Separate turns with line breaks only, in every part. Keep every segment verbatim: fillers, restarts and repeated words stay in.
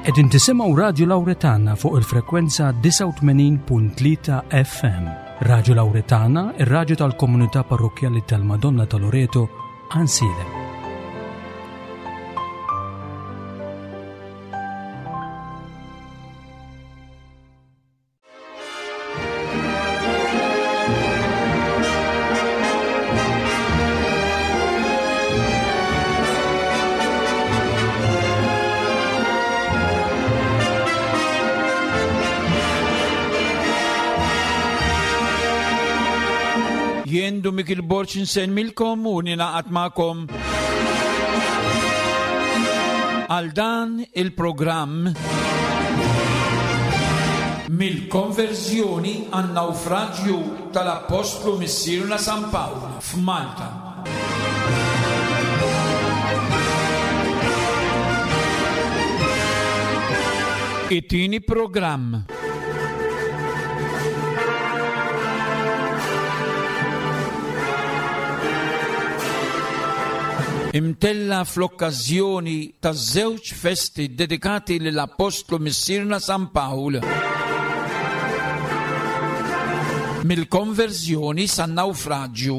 Qegħdin tisimgħu Radju Lawretana fuq il-frekwenza disgħa u tmenin punt tlieta F M. Radju Lawretana, ir-radju tal-komunità parrokkjali tal-Madonna ta' Loreto, Għajnsielem.
Jien Dun Mikiel Borg insellmilkom u ninaqat magħkom għal dan il-programm mill-konverżjoni għan nawfraġju tal-Appostlu Missierna San Pawl f'Malta. It-tieni programm. Imtella fl-okkażjoni ta' żewġ festi dedikati lill-Appostlu Missierna San Pawl. Mill-konverżjoni san nawfraġju.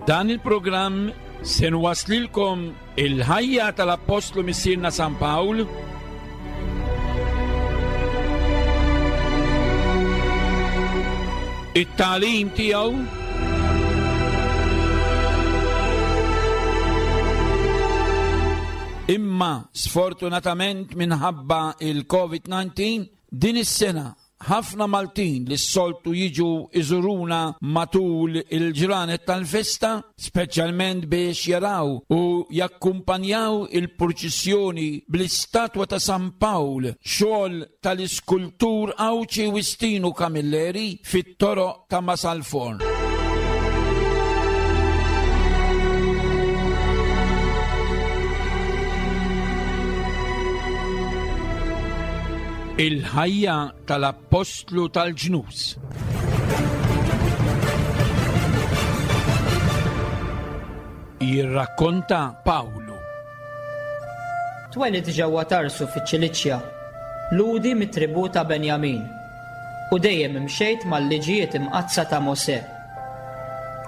Dan il-programm se nwaslilkom il-ħajja tal-Appostlu Missierna San Pawl, it-tagħlim tiegħu, imma sfortunatament minħabba il-COVID nineteen din is-sena ħafna Maltin li s-soltu jiġu iżuruna matul il-ġranet tal-festa, speċjalment biex jaraw u jakkumpanjaw il-purċissjoni bl-istatwa ta' San Pawl, xogħol tal-iskultur Għawdxi Wistinu Camilleri fit-toroq ta' Marsalforn. Il-ħajja tal-Appostlu tal-Ġnus. Jirrakkonta Pawlu.
Twelid ġewwa Tarsu fiċ-Ċiliċja, Lhudi mit-tribù ta' Benjamin, u dejjem imxejt mal-liġijiet imqaddsa ta' Mosè.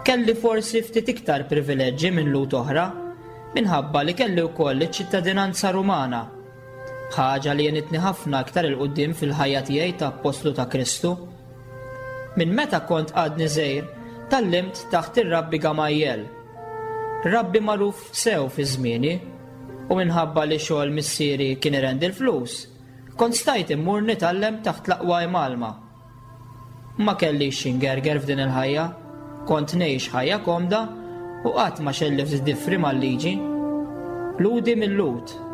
Kelli forsi ftit iktar privileġġi minn Lhud oħra, minħabba li kelli wkoll iċ-ċittadinanza Rumana, ħaġa li għenitni ħafna aktar il-qudiem fil-ħajja tiegħi ta' Appostlu ta' Kristu. Minn meta kont għadni żgħir, tallimt taħt ir-Rabbi Gamajel, rabbi magħruf sew fi żmieni, u minħabba li xogħol missieri kien irendi l-flus, kont stajt immur nitgħallem taħt l-aqwa imgħallma. Ma kellix x'ingerger f'din il-ħajja, kont ngħix ħajja komda u qatt ma xellift diffri mal-liġi. Lhudi mill-Lhud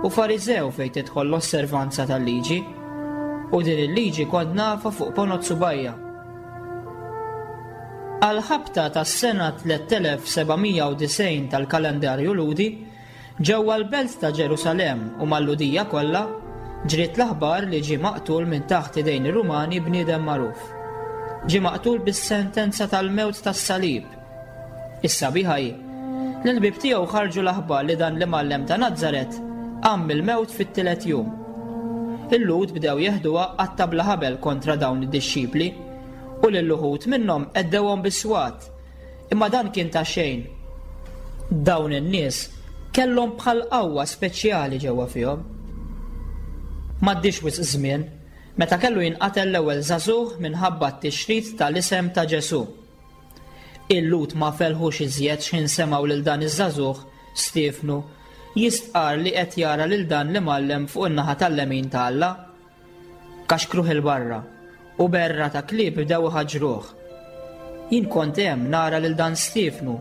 u Fariżew fejn tidħol l-osservanza tal-liġi, u din il-liġi kont nafa fuq ponot subajja. Għal-ħabta tas-sena tliet elef seba' mija u disgħin tal-kalendarju Lhudi, ġewwa l-belt ta' Ġerusalemm u mal-Lhudija kollha, ġriet l-aħbar li ġie maqtul minn taħt idejn ir-Rumani bniedem magħruf. Ġie maqtul bis-sentenza tal-mewt tas-salib. Is-sabiħa hi li l-ħbieb tiegħu ħarġu l-aħbar li dan l-imgħallem ta' Nazaret qam mill-mewt fit-tielet jum. Il-Lhud bdew jeħduha qatta bla ħabel kontra dawn id-dixxipli u lil uħud minnhom għeddewhom bis-swat, imma dan kien ta' xejn. Dawn in-nies kellhom bħal qawwa speċjali ġewwa fihom. M'għaddix wisq żmien meta kellu jinqatel l-ewwel żagħżugħ minħabba t-tixrid tal-isem ta' Ġesù. Il-Lhud ma felħux iżjed x'ħin semgħu lil dan iż-żagħżugħ, Stiefnu, jistqarr li qed jara lil dan l-imgħallem fuq in-naħa tal-lemin ta' Alla. Kaxkruh 'il barra u berra ta' klieb bdew iħaġġruh. Jien kont hemm nara lil dan Stiefnu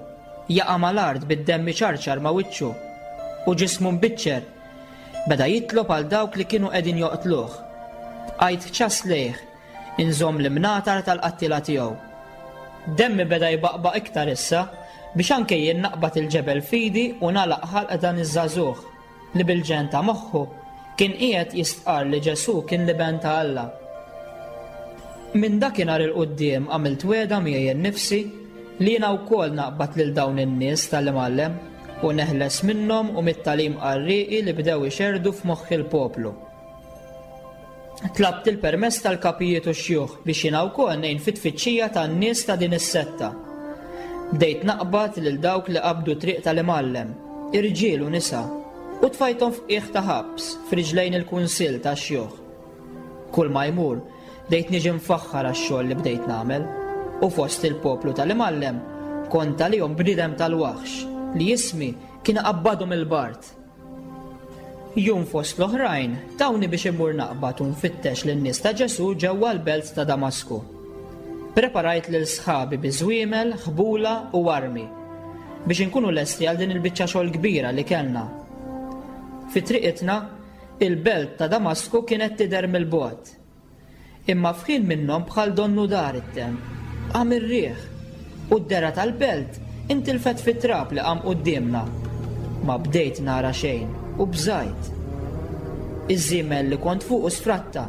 jaqa' mal-art bid-demm iċarċar ma' wiċċu u ġismu mbiċċer. Beda jitlob għal dawk li kienu qegħdin joqtluh. Bqajt ċass lejh, inżomm l-imnatar tal-qattiela tiegħu. Demmi beda jbaqbaq iktar issa biex anke jien naqbad il-ġebel f'idi u nagħlaq ħalq dan iż-żagħżugħ li bil-ġenn ta' moħħu kien qiegħed jistqarr li Ġesù kien l-Iben ta' Alla. Minn dakinhar 'il quddiem għamilt wegħda miegħi nnifsi li jiena wkoll naqbad lil dawn in-nies tal-imgħallem u neħles minnhom u mit-tagħlim qarrieqi li bdew ixerrdu f'moħħ il-poplu. Tlabt il-permess tal-kapijiet u x-xjuħ biex jiena wkoll ngħin fit-tfittxija tan-nies ta' din is-setta. Bdejt naqbad lil dawk li qabdu triq tal-imgħallem, irġiel u nisa, u tfajthom f'qiegħ ta' ħabs f'riġlejn il-kunsill tax-xjuħ. Kull ma jmur, bdejt niġi mfaħħar għax-xogħol li bdejt nagħmel, u fost il-poplu tal-imgħallem kont għalihom bniedem tal-waħx li ismi kien iqabbadhom il-bard. Jum fost l-oħrajn tawni biex immur naqbad u nfittex lin-nies ta' Ġesù ġewwa l-belt ta' Damasku. Preparajt lil sħabi bi żwiemel, ħbula u armi biex inkunu lesti għal din il-biċċa xogħol kbira li kellna. Fi triqitna, il-belt ta' Damasku kienet tidher mill-bogħod. Imma f'ħin minnhom bħal donnu dar it-temp, qam ir-riħ, u d-dehra tal-belt intilfet fit-trab li qam quddiemna. Ma bdejt nara xejn u bżajt. Iż-żiemel li kont fuqu sfratta,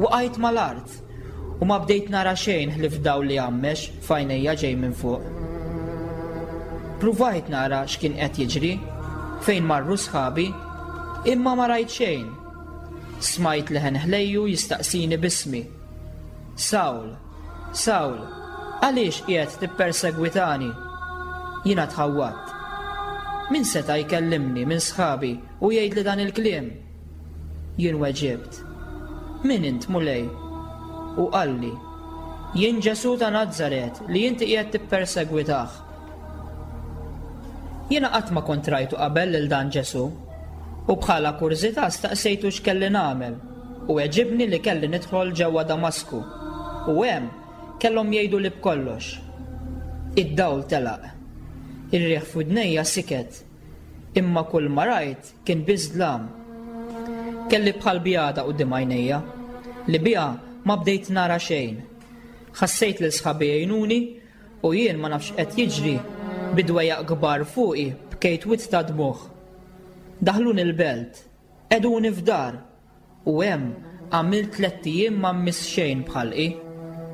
waqajt mal-art, u ma bdejt nara xejn ħlief dawl li għammex f'għajnejja ġej minn fuq. Pruvajt nara x'kien qed jiġri, fejn marru sħabi, imma ma rajt xejn. Smajt leħen ħlejju jistaqsini b'ismi. Sawl, Sawl, għaliex qiegħed tippersegwitani? Jiena tħawwadt. Min seta' jkellimni minn sħabi u jgħidli dan il-kliem? Jien weġibt, Min int, Mulej? U qalli, Jien Ġesù ta' Nazaret li inti qiegħed tippersegwitah. Jiena qatt ma kont rajtu qabel lil dan Ġesù, u bħala kurżità staqsejtu x'kelli nagħmel, u weġibni li kelli nidħol ġewwa Damasku, u hemm kellhom jgħiduli b'kollox. Id-dawl telaq. Ir-riħ f'widnejja siket, imma kull ma rajt kien biss dlam. Kelli bħal bjada quddiem għajnejja, li biha ma bdejt nara xejn. Ħassejt lil sħabi jgħinuni u jien ma nafx qed jiġri, bi dwejjaq kbar fuqi bkejt wied ta' dmugħ. Daħluni l-belt, qegħduni f'dar, u hemm għamilt tlett ijiem ma mmiss xejn b'ħalqi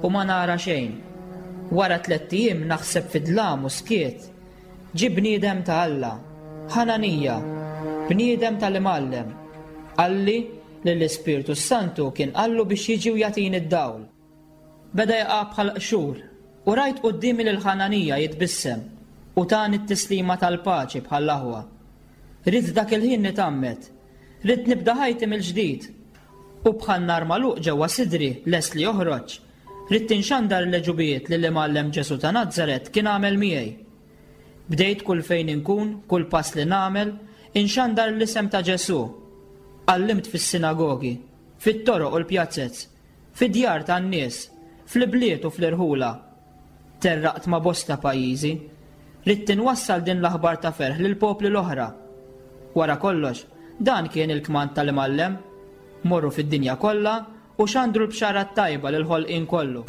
u ma nara xejn. Wara tlett ijiem naħseb fi dlam u skiet, ġie bniedem ta' Alla, Ħananija, bniedem tal-imgħallem, qalli li l-Ispirtu s-Santu kien qallu biex jiġi u jagħtini d-dawl. Beda jaqa' bħal qxur, u rajt quddiemi lil Ħananija jitbissem u tani t-tislima tal-paċi bħall-aħwa. Ridt dak il-ħin nitgħammed, ridt nibda ħajti mill-ġdid, u bħal nar magħluq ġewwa sidri lest li joħroġ, ridt inxandar l-għeġubijiet li l-imgħallem Ġesù ta' Nazaret kien għamel miegħi. Bdejt kull fejn inkun, kull pass li nagħmel, inxandar l-isem ta' Ġesù. Għallimt fis-sinagogi, fit-toroq u l-pjazzez, fid-djar tan-nies, fl-ibliet u fl-irħula. Terraqt ma' bosta pajjiżi. Ridt inwassal din l-aħbar ta' ferħ lill-popli l-oħra. Wara kollox, dan kien il-kmand tal-imgħallem. Morru fid-dinja kollha u xandru l-bxara t-tajba lill-ħolqien kollu.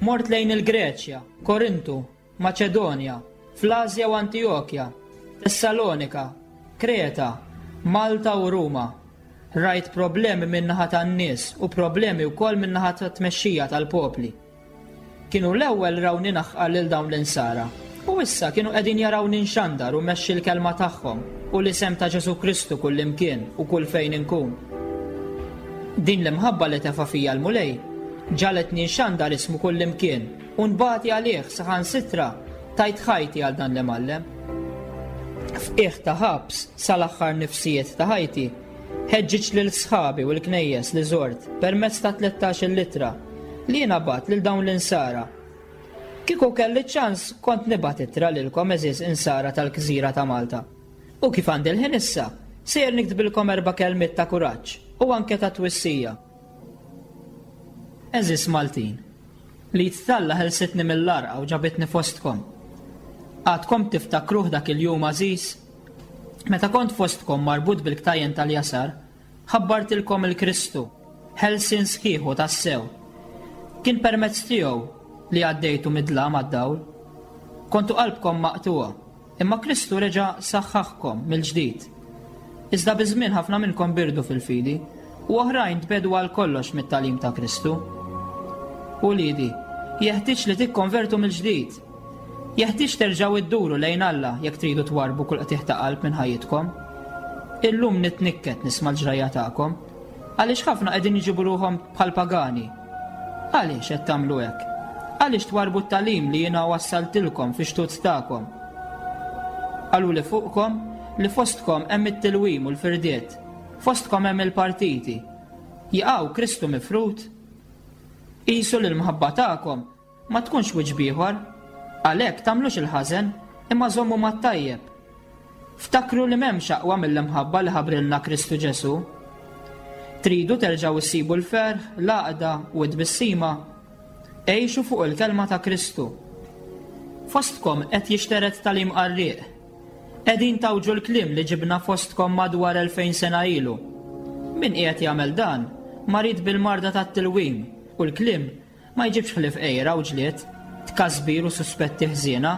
Mort lejn il-Greċja, Korintu, Maċedonja, fl-Asja u Antijokja, Tessalonika, Kreta, Malta u Ruma. Rajt problemi min-naħa tan-nies u problemi wkoll min-naħa tat-tmexxija tal-popli. Kienu l-ewwel rawni naħqar lil dawn l-insara u issa kienu qegħdin jarawni nxandar u mmexxi l-kelma tagħhom u l-isem ta' Ġesù Kristu kullimkien u kull fejn inkun. Din l-imħabba li tefa' fija l-Mulej ġagħletni nxandar ismu kullimkien u nbati għalih, saħansitra tajt ħajti għal dan l-imgħallem. F'qiegħ ta' ħabs sal-aħħar nifsijiet ta' ħajti, ħeġġiġt lil sħabi u l-knejjes li żort permezz ta' tlettax-il ittra li jiena bgħatt lil dawn l-insara. Kieku kelli ċans kont nibgħat ittra lilkom, għeżież insara tal-gżira ta' Malta. U kif għandi l-ħin issa, sejjer niktbilkom erba' kelmiet ta' kuraġġ u anke ta' twissija. Għeżież Maltin, l-id t'Alla ħelsitni mill-għarqa u ġabitni fostkom. Għadkom tiftakruh dak il-jum għażiż? Meta kont fostkom marbut bil-ktajjen tal-jasar, ħabbartilkom il-Kristu, ħelsien sħiħ u tassew. Kien permezz tiegħu li għaddejtu mid-dlam għad-dawl. Kontu qalbkom maqtugħa, imma Kristu reġa' saħħaħkom mill-ġdid. Iżda biż-żmien ħafna minnkom birdu fil-fidi, u oħrajn tbiegħdu għal kollox mit-tagħlim ta' Kristu. Uliedi, jeħtieġ li tikkonvertu mill-ġdid. Jeħtieġ terġgħu idduru lejn Alla jekk tridu twarrbu kull qtigħ ta' qalb minn ħajjitkom. Illum nitnikket nisma' l-ġrajja tagħkom, għaliex ħafna qegħdin jġibu ruħhom bħal pagani. Għaliex qed tagħmlu hekk? Għaliex twarrbu t-tagħlim li jiena wassaltilkom fi xtut tagħkom? Qaluli fuqkom li fostkom hemm it-tilwim u l-firdiet, fostkom hemm il-partiti. Jaqaw Kristu mifrud? Qisu li l-mħabba tagħkom ma tkunx wiċċ b'ieħor, għalhekk tagħmlux il-ħażen imma żommu mat-tajjeb. Ftakru li m'hemmx aqwa mill-imħabba li ħabrilna Kristu Ġesù. Tridu terġgħu issibu l-ferħ, l-għaqda u t-tbissima? Għixu fuq il-kelma ta' Kristu. Fostkom qed jixtered tagħlim qarrieq. Qegħdin tgħawġu l-kliem li ġibna fostkom madwar elfejn sena ilu. Min qiegħed jagħmel dan marid bil-marda tat-tilwim u l-kliem ma jġibx ħlief għira u ġlied, tkasbir u suspetti ħżiena.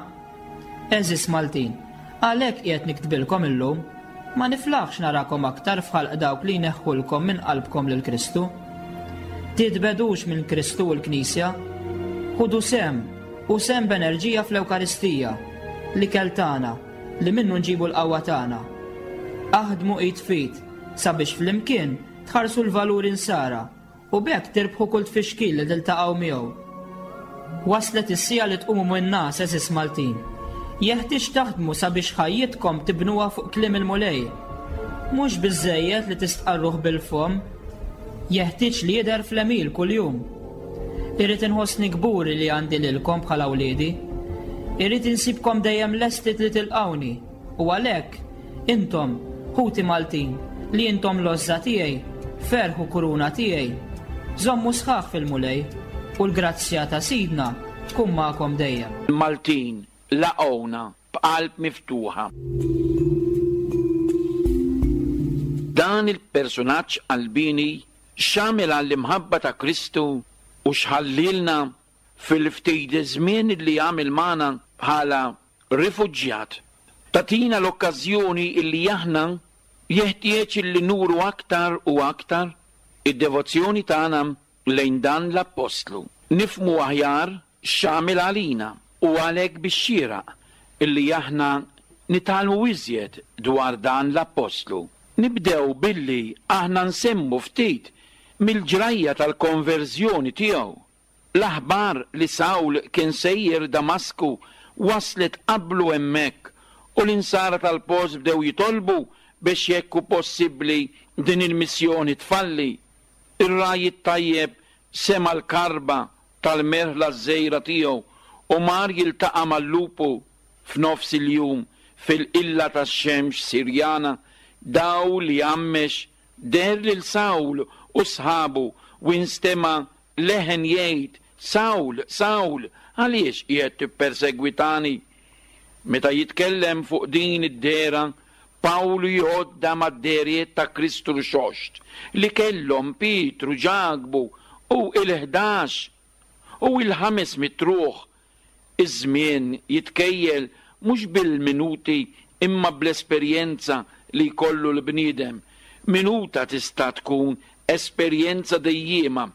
Għeżież Maltin, għalhekk qiegħed niktbilkom illum, ma niflaħx narakom aktar f'ħalq dawk li jneħħulkom minn qalbkom lil Kristu. Titbegħdux minn Kristu u l-Knisja, ħudu sehem u sehem b'enerġija fl-Ewkaristija, l-ikel tagħna li minnu nġibu l-qawwa tagħna. Aħdmu id f'id sabiex flimkien tħarsu l-valuri nsara u b'hekk tirbħu kull tfixkil li tiltaqgħu miegħu. Waslet is-siegħa li tqumu min-ngħas, għeżież Maltin. Jeħtieġ taħdmu sabiex ħajjitkom tibnuha fuq kliem il-Mulej. Mhux biżżejjed li tistqarruh bil-fomm, jeħtieġ li jidher fl-għemil kuljum. Irrid inħossni kburi li għandi lilkom bħala wliedi. Irrid insibkom dejjem lesti li tilqawni u għalhekk intom, ħuti Maltin, li intom l-għożża tiegħi, ferħ u kuruna tiegħi, żommu sħaħ fil-Mulej u l-grazzja ta' Sidna tkun magħkom dejjem.
Maltin laqgħuna b'qalb miftuħa. Dan il-personaġġ qalbieni x'għamel għall-imħabba ta' Kristu u x'ħallilna fil-ftit żmien li għamel magħna bħala rifuġġjat. Tagħtina l-okkażjoni illi aħna jeħtieġ illi nuru aktar u aktar id-devozzjoni tagħna lejn dan l-appostlu. Nifhmu aħjar x'għamel għalina u għalhekk bix-xieraq illi aħna nitgħallmu iżjed dwar dan l-appostlu. Nibdew billi aħna nsemmu ftit mill-ġrajja tal-konverżjoni tiegħu. L-aħbar li Sawl kien sejjer Damasku waslet qablu hemmhekk u l-insara tal-post bdew jitolbu biex jekk hu possibbli din il-missjoni tfalli. Ir-ragħaj it-tajjeb sema' l-karba tal-merħla żgħira tiegħu u mar jiltaqa' mal-lupu f'nofs il-jum fil-qilla tax-xemx Sirjana, dawl li għammex deher lil Sawl u sħabu u instema' leħen jgħid, Sawl, Sawl, għaliex qiegħed tippersegwitani? Meta jitkellem fuq din id-dehra, Pawlu jgħoddha mad-dehriet ta' Kristu rxoxt li kellhom Pietru, Ġakbu u il-ħdax u il-ħames mitt ruħ. Iż-żmien jitkejjel mhux bil-minuti imma bl-esperjenza li jkollu l-bniedem. Minuta tista' tkun esperjenza dejjiema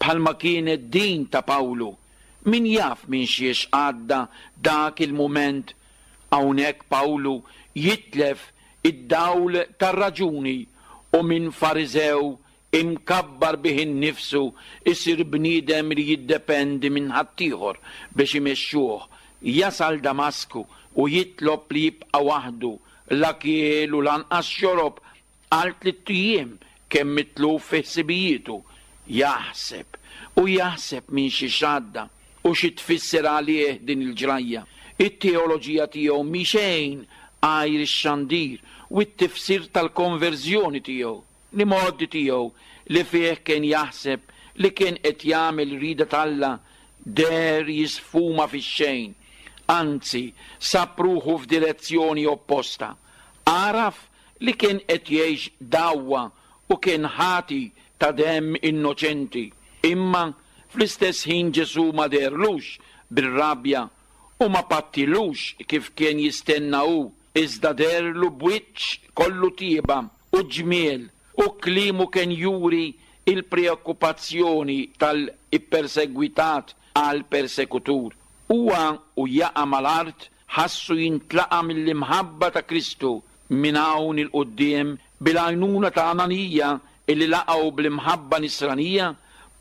bħalma kienet din ta' Pawlu Min jaf minn xiex għadda dak il-mument. Hawnhekk Pawlu jitlef id-dawl tar-raġuni u minn Fariżew imkabbar bih innifsu isir bniedem li jiddependi minn ħaddieħor biex imexxuh. Jasal Damasku u jitlob li jibqa' waħdu, la kiel u lanqas xorob għal tliet ijiem, kemm mitluf fi ħsibijietu. Jaħseb u jaħseb minn xi xadda u xi tfisser għalih din il-ġrajja. It-teoloġija tiegħu mhi xejn għajr ix-xandir u t-tifsir tal-konverżjoni tiegħu, li modi tiegħu li fih kien jaħseb li kien qed jagħmel rida t'Alla deher jisfuma fix-xejn, anzi sab ruħu f'direzzjoni opposta. Għaraf li kien qed jgħix dawwa u kien ħati ta' demm innoċenti, imma fl-istess ħin Ġesù ma deherlux bir-rabja u ma pattilux kif kien jistenna hu, iżda deherlu b'wiċċ kollu tieba u ġmiel, u kliemu kien juri il-preokkupazzjoni tal-ippersegwitat għal persekutur. Huwa u jaqa' mal-art ħassu jintlaqa' mill-imħabba ta' Kristu. Minn hawn il-quddiem, bil-għajnuna ta' Ananija illi laqgħu bl-imħabba nisranija,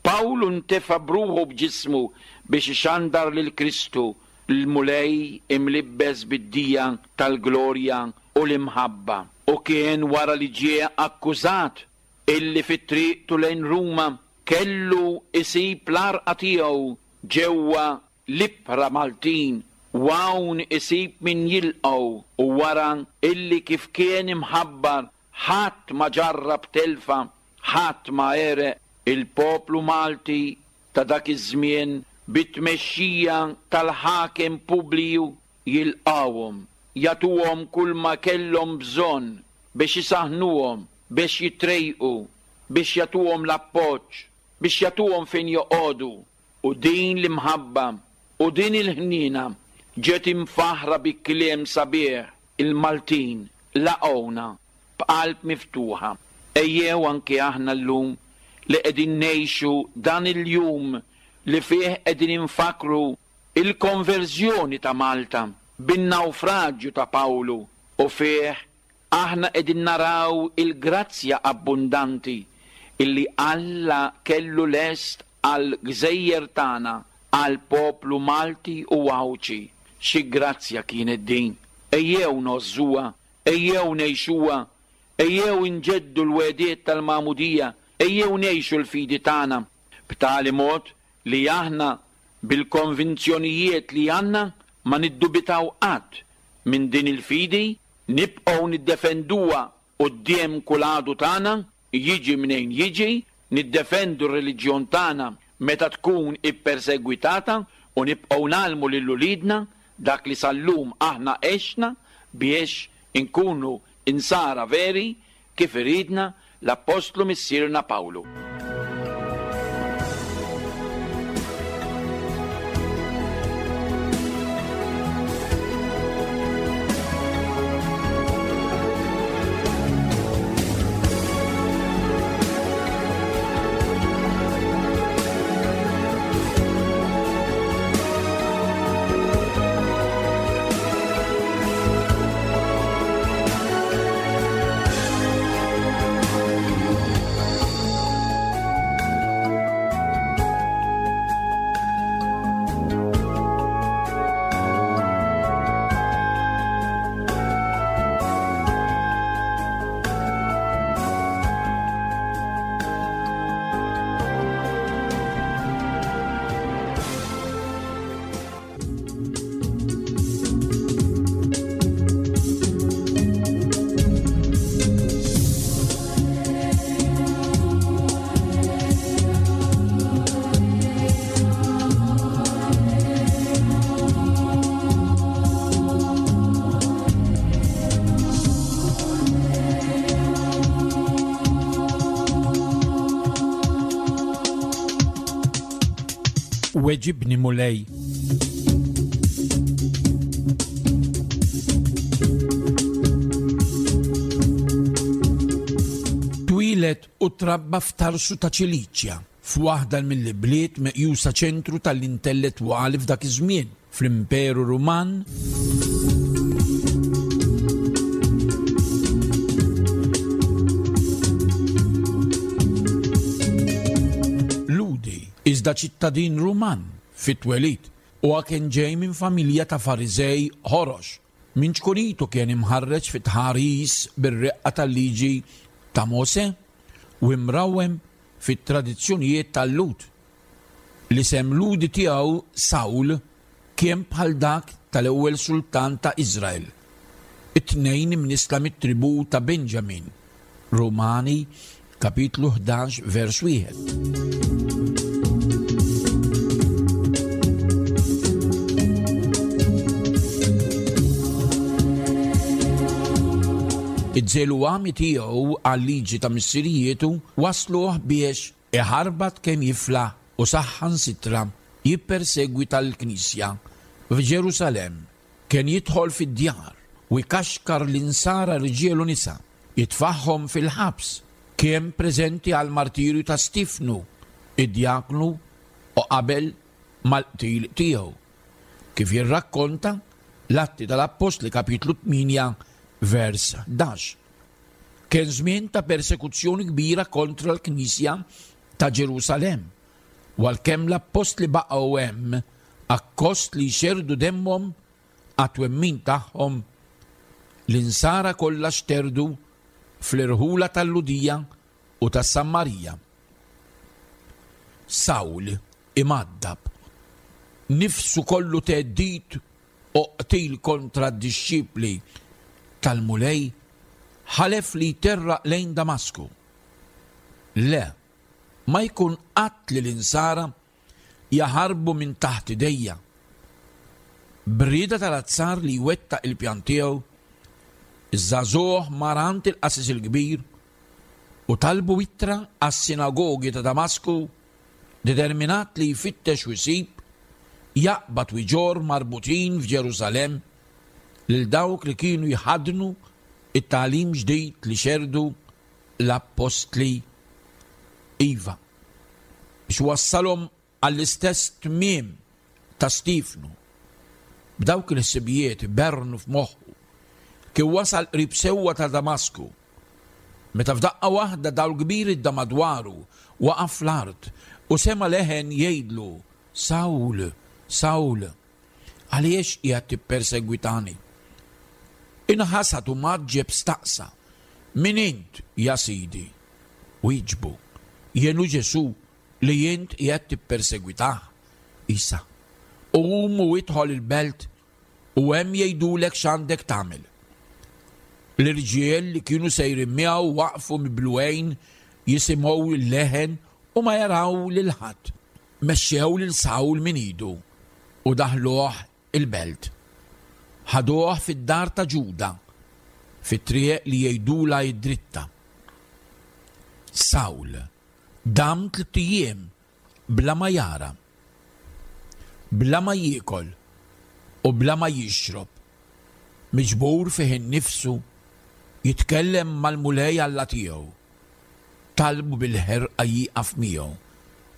Pawlu ntefa' bruħu b'ġismu biex ixandar lil Kristu, l-Mulej imlibbes bid-dija tal-glorja u l-imħabba. U kien wara li ġie akkużat illi fit-triqtu lejn Ruma kellu isib l-arqa tiegħu ġewwa l-ibħra Maltin, u hawn isib min jilqgħu, u wara illi kif kien imħabbar ħadd ma ġarrab telfa, ħadd ma għereq, il-poplu Malti ta' dak iż-żmien bit-tmexxija tal-ħakem Publiju jilqawhom, jagħtuhom kull ma kellhom bżonn biex isaħnuhom, biex jitrejqu, biex jagħtuhom l-appoġġ, biex jagħtuhom fejn joqogħdu. U din l-imħabba u din il-ħniena ġiet imfaħra bi kliem sabiħ. Il-Maltin laqgħuna b'qalb miftuħa. Ejjew anke aħna llum li qegħdin ngħixu dan il-jum li fih qegħdin infakru il-konverżjoni ta' Malta bin-nawfraġġju ta' Pawlu, u fih aħna qegħdin naraw il-grazzja abbundanti illi Alla kellu lest għal gżejjer tagħna, għal poplu Malti u Għawdxi. Xi grazzja kienet din! Ejjew ngħożżuha, ejjew ngħixuha, ejjew inġeddu l-wegħdiet tal-magħmudija, ejjew ngħixu l-fidi tagħna b'tali mod li aħna bil-konvinzjonijiet li għandna ma niddubitaw qatt minn din il-fidi, nibqgħu niddefenduha quddiem kull għadu tagħna, jiġi mnejn jiġi, niddefendu r-reliġjon tagħna meta tkun ippersegwitata, u nibqgħu nagħlmu lil uliedna dak li sal-lum aħna għexna biex inkunu insara veri kif iridna l-Appostlu Missierna Pawlu.
Weġibni Mulej. Twieled u trabba f'Tarsu ta' Ċiliċja f'waħda mill-bliet meqjusa ċentru tal-intellettwali f'dak iż-żmien fl-Imperu Ruman. Lhudi, iżda ċittadin Ruman fit-twelid, u kien ġej minn familja ta' Fariżej ħorox. Minn ċkunitu kien imħarreġ fit-tħaris bir-reqqa tal-liġi ta' Mose u imrawem fit-tradizzjonijiet tal-Lhud. L-isem Lhudi tiegħu Sawl kien bħal dak tal-ewwel sultan ta' Iżrael. It-tnejn imnisla mit-tribù ta' Benjamin. Rumani kapitlu ħdax vers wieħed. Iż-żelu għami tiegħu għal-liġi ta' missirietu wasluh biex iħarbat kemm jiflaħ u saħħan sitra jippersegwi tal-Knisja f'Ġerusalemm. Kien jidħol fid-djar u jkaxkar l-insara rġiel u nisa, jitfaħħom fil-ħabs. Kien preżenti għal martirju ta' Stifnu, id-djaknu, u qabel mal-qtil tiegħu. Kif jirrakkonta l-Atti tal-Appostli kapitlu tmienja vers ħdax. Kien żmien ta' persekuzzjoni kbira kontra l-Knisja ta' Ġerusalemm, u għalkemm l-appostli baqgħu hemm akkost li jxerdu demmhom għat-twemmin tagħhom, l-insara kollha xterdu fl-irħula tal-Lhudija u tas-Sammarija. Sawl imaddab, nifsu kollu theddid u qtil kontra d-dixxipli tal-Mulej, ħalef li jterraq lejn Damasku. Le, ma jkun qatt li l-insara jaħarbu minn taħt idejja. B'rieda tal-azzar li jwettaq il-pjan tiegħu, iż-żagħżugħ mar għand il-qassis il-kbir u talbu ittra għas-sinagogi ta' Damasku, determinat li jfittex u jsib, jaqbad u jġorr marbutin f'Ġerusalemm lil dawk li kienu jħaddnu it-tagħlim ġdid li xerdu l-appostli. Iva, biex wassalhom għall-istess tmiem ta' Stifnu. B'dawk il-ħsibijiet bernu f'moħħu kien wasal qrib sewwa ta' Damasku, meta f'daqqa waħda dawl kbir idda madwaru waqaf fl-art u sema leħen jgħidlu: Sawl, Sawl, għaliex qiegħed tippersegwitani? Inħasad u maġġeb staqsa: Min int, ja Sidi? Wieġbu: Jien hu Ġesù li int qiegħed tippersegwitah. Isa, qum u idħol il-belt u hemm jgħidulek x'għandek tagħmel. L-irġiel li kienu sejrin miegħu waqfu mibluwejn jisimgħu l-leħen u ma jaraw lil ħadd. Mexxew lil Sawl minn idu u daħluh il-belt. Ħaduh fid-dar ta' Ġuda, fit-triq li jgħidulha id-dritta. Sawl dam tliet ijiem bla ma jara, bla ma jiekol u bla ma jixrob, miġbur fih innifsu jitkellem mal-Mulej Alla tiegħu. Talbu bil-ħerqa jieqaf miegħu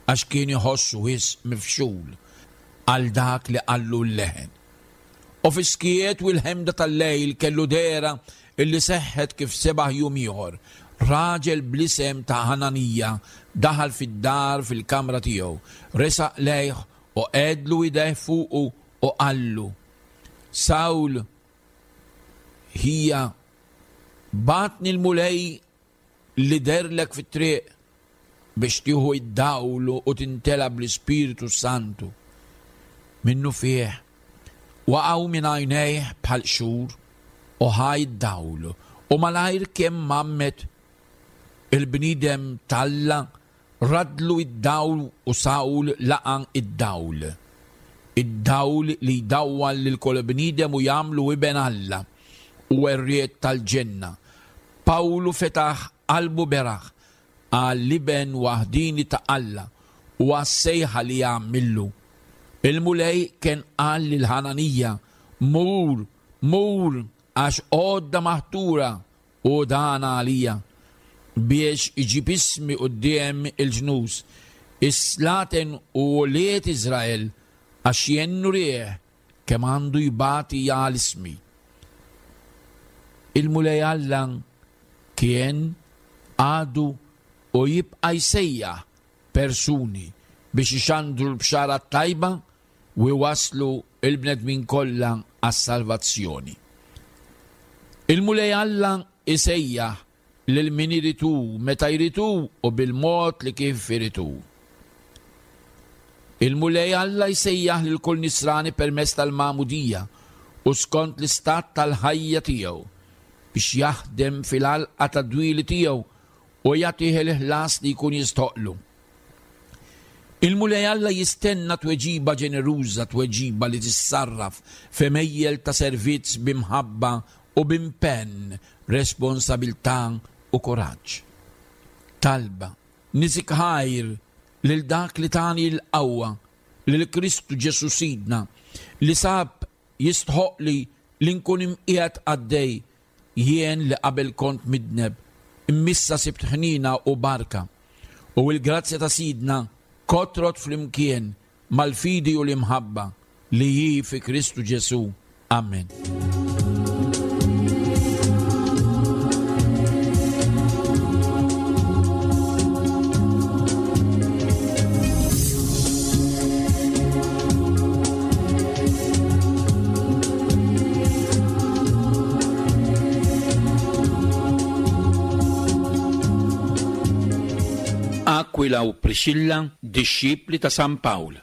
għax kien iħossu wisq mifxul għal dak li qallu l-leħen. U fis-skiet u l-ħemda tal-lejl kellu dehra illi seħħet kif sebaħ jum ieħor. Raġel bl-isem ta' Ħananija daħal fid-dar fil-kamra tiegħu, resaq lejh u qegħedlu idejh fuqu u qallu: Sawl, ħija, bagħatni l-Mulej li derlek fit-triq biex tieħu id-dawl u tintela bl-Ispiritu Santu. Minnu fih waqgħu minn għajnejh bħal qxur u ħa id-dawl, u malajr kemm mammet il-bniedem t'Alla radlu id-dawl u Sawl laqa id-dawl. Id-dawl li jdawwal lil kull bniedem u jagħmlu iben Alla u werriet tal-ġenna. Pawlu fetaħ qalbu beraħ għall-iben waħdini ta' Alla u għas-sejħa li jagħmillu. Il-Mulej kien qal lil Ħananija: Mur, mur, għax għodda maħtura u dan għalija biex iġib ismi quddiem il-ġnus, is-slaten u wlied Iżrael għax jien nurih kemm għandu jbati għal ismi. Il-Mulej Alla kien, għadu u jibqa' jsejjaħ persuni biex ixandru l-bxara t-tajba u jwasslu l-bnedmin kollha għas-salvazzjoni. Il-Mulej Alla isejjaħ lil min irid hu, meta jrid hu u bil-mod li kif irid hu. Il-Mulej Alla jsejjaħ lil kull nisrani permezz tal-magħmudija u skont l-istat tal-ħajja tiegħu biex jaħdem fil-għalqa tad-dwieli tiegħu u jagħtih il-ħlas li jkun jistħoqlu. Il-Mulej Alla jistenna tweġiba ġeneruża, tweġiba li tissarraf f'għemejjel ta' servizz b'imħabba u b'impenn, responsabilità u kuraġġ. Talba, niżik ħajr lil dak li tani l-qawwa, lil Kristu Ġesù Sidna, li sab jistħoqli li nkun imqiegħed qaddej, jien li qabel kont midneb, immissa sibt ħnina u barka. U l-grazzja ta' Sidna kotrot flimkien mal-fidi u l-imħabba li hi fi Kristu Ġesù. Amen.
Aquila u Priscilla, dixxipli ta' San Pawl.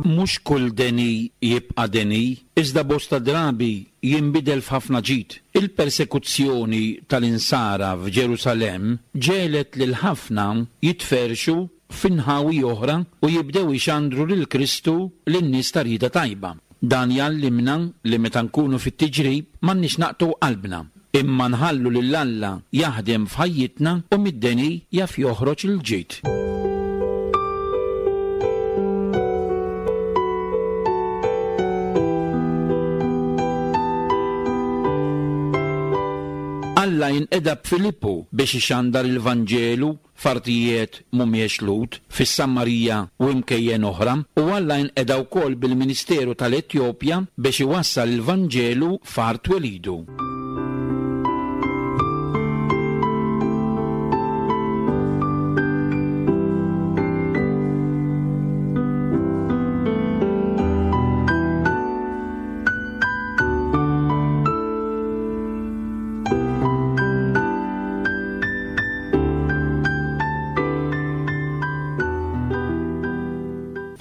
Mhux kull deni jibqa' deni, iżda bosta drabi jinbidel f'ħafna ġid. Il-persekuzzjoni tal-insara f'Ġerusalemm ġelet lil ħafna jitferxu f'inħawi oħra u jibdew ixandru lil Kristu lin-nies ta' rieda tajba. Dan jgħallimna li meta nkunu fit-tiġrib m'għandniex naqtgħu qalbna, imma nħallu lil Alla jaħdem f'ħajjitna u mid-deni jaf joħroġ il-ġid. Alla jinqeda b'Filippu biex ixandar il-Vanġelu f'artijiet mhumiex Lhud, fis-Samarija u imkejjen oħra, u Alla jinqeda wkoll bil-Ministeru tal-Etjopja biex iwassal il-Vanġelu f'art twelidu.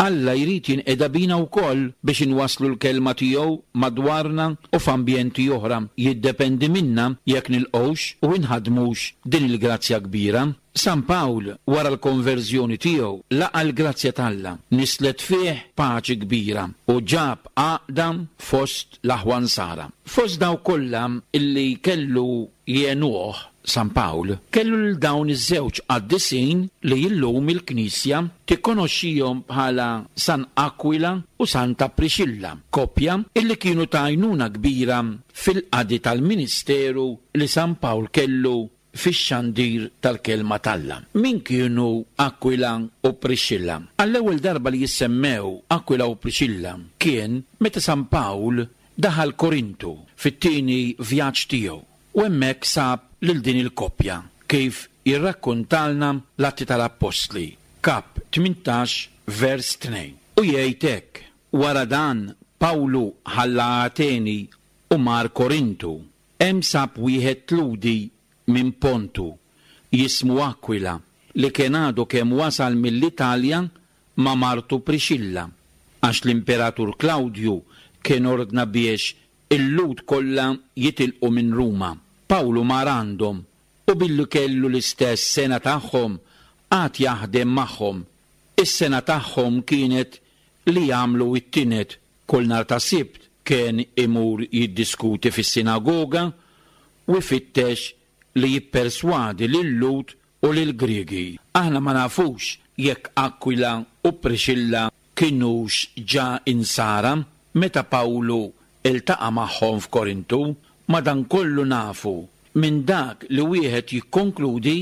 Alla jrid jinqeda bina wkoll biex inwasslu l-kelma tiegħu madwarna u f'ambjenti oħra. Jiddependi minna jekk nilqgħux u inħadmux din il-grazzja kbira. San Pawl wara l-konverżjoni tiegħu laqa l-grazzja t'Alla, nislet fih paċi kbira u ġab għaqda fost l-aħwa Nsara. Fost daw kollha illi kellu jenuh San Pawl, kellu lil dawn iż-żewġ qaddisin li illum il-Knisja tikkonoxxihom bħala San Aquila u Santa Priscilla, koppja illi kienu ta' għajnuna kbira fil-qadi tal-ministeru li San Pawl kellu fix-xandir tal-kelma t'Alla. Min kienu Aquila u Priscilla? Għall-ewwel darba li jissemmew Aquila u Priscilla kien meta San Pawl daħal Korintu fit-tieni vjaġġ tiegħu u hemmhekk sab lil din il-koppja kif jirrakkontalna l-Atti tal-Appostli, kap tmintax vers tnejn. U jgħid hekk: wara dan Pawlu ħalla Ateni u mar Korintu. Hemm sab wieħed Lhudi minn Pontu jismu Aquila li kien għadu kemm wasal mill-Italja ma' martu Priscilla, għax l-Imperatur Klawdju kien ordna biex il-Lhud kollha jitilqu minn Ruma. Pawlu mar għandhom u billi kellu l-istess sena tagħhom għad jaħdem magħhom. Is-sena tagħhom kienet li jagħmlu it-tinet kull nhar ta' Sibt kien imur jiddiskuti fis-sinagoga u jfittex li jipperswadi lil-Lhud u lill-Griegi. Aħna ma nafux jekk Aquila u Priscilla kinux ġa insara meta Pawlu iltaqa' magħhom f'Korintu, madankollu nafu minn dak li wieħed jikkonkludi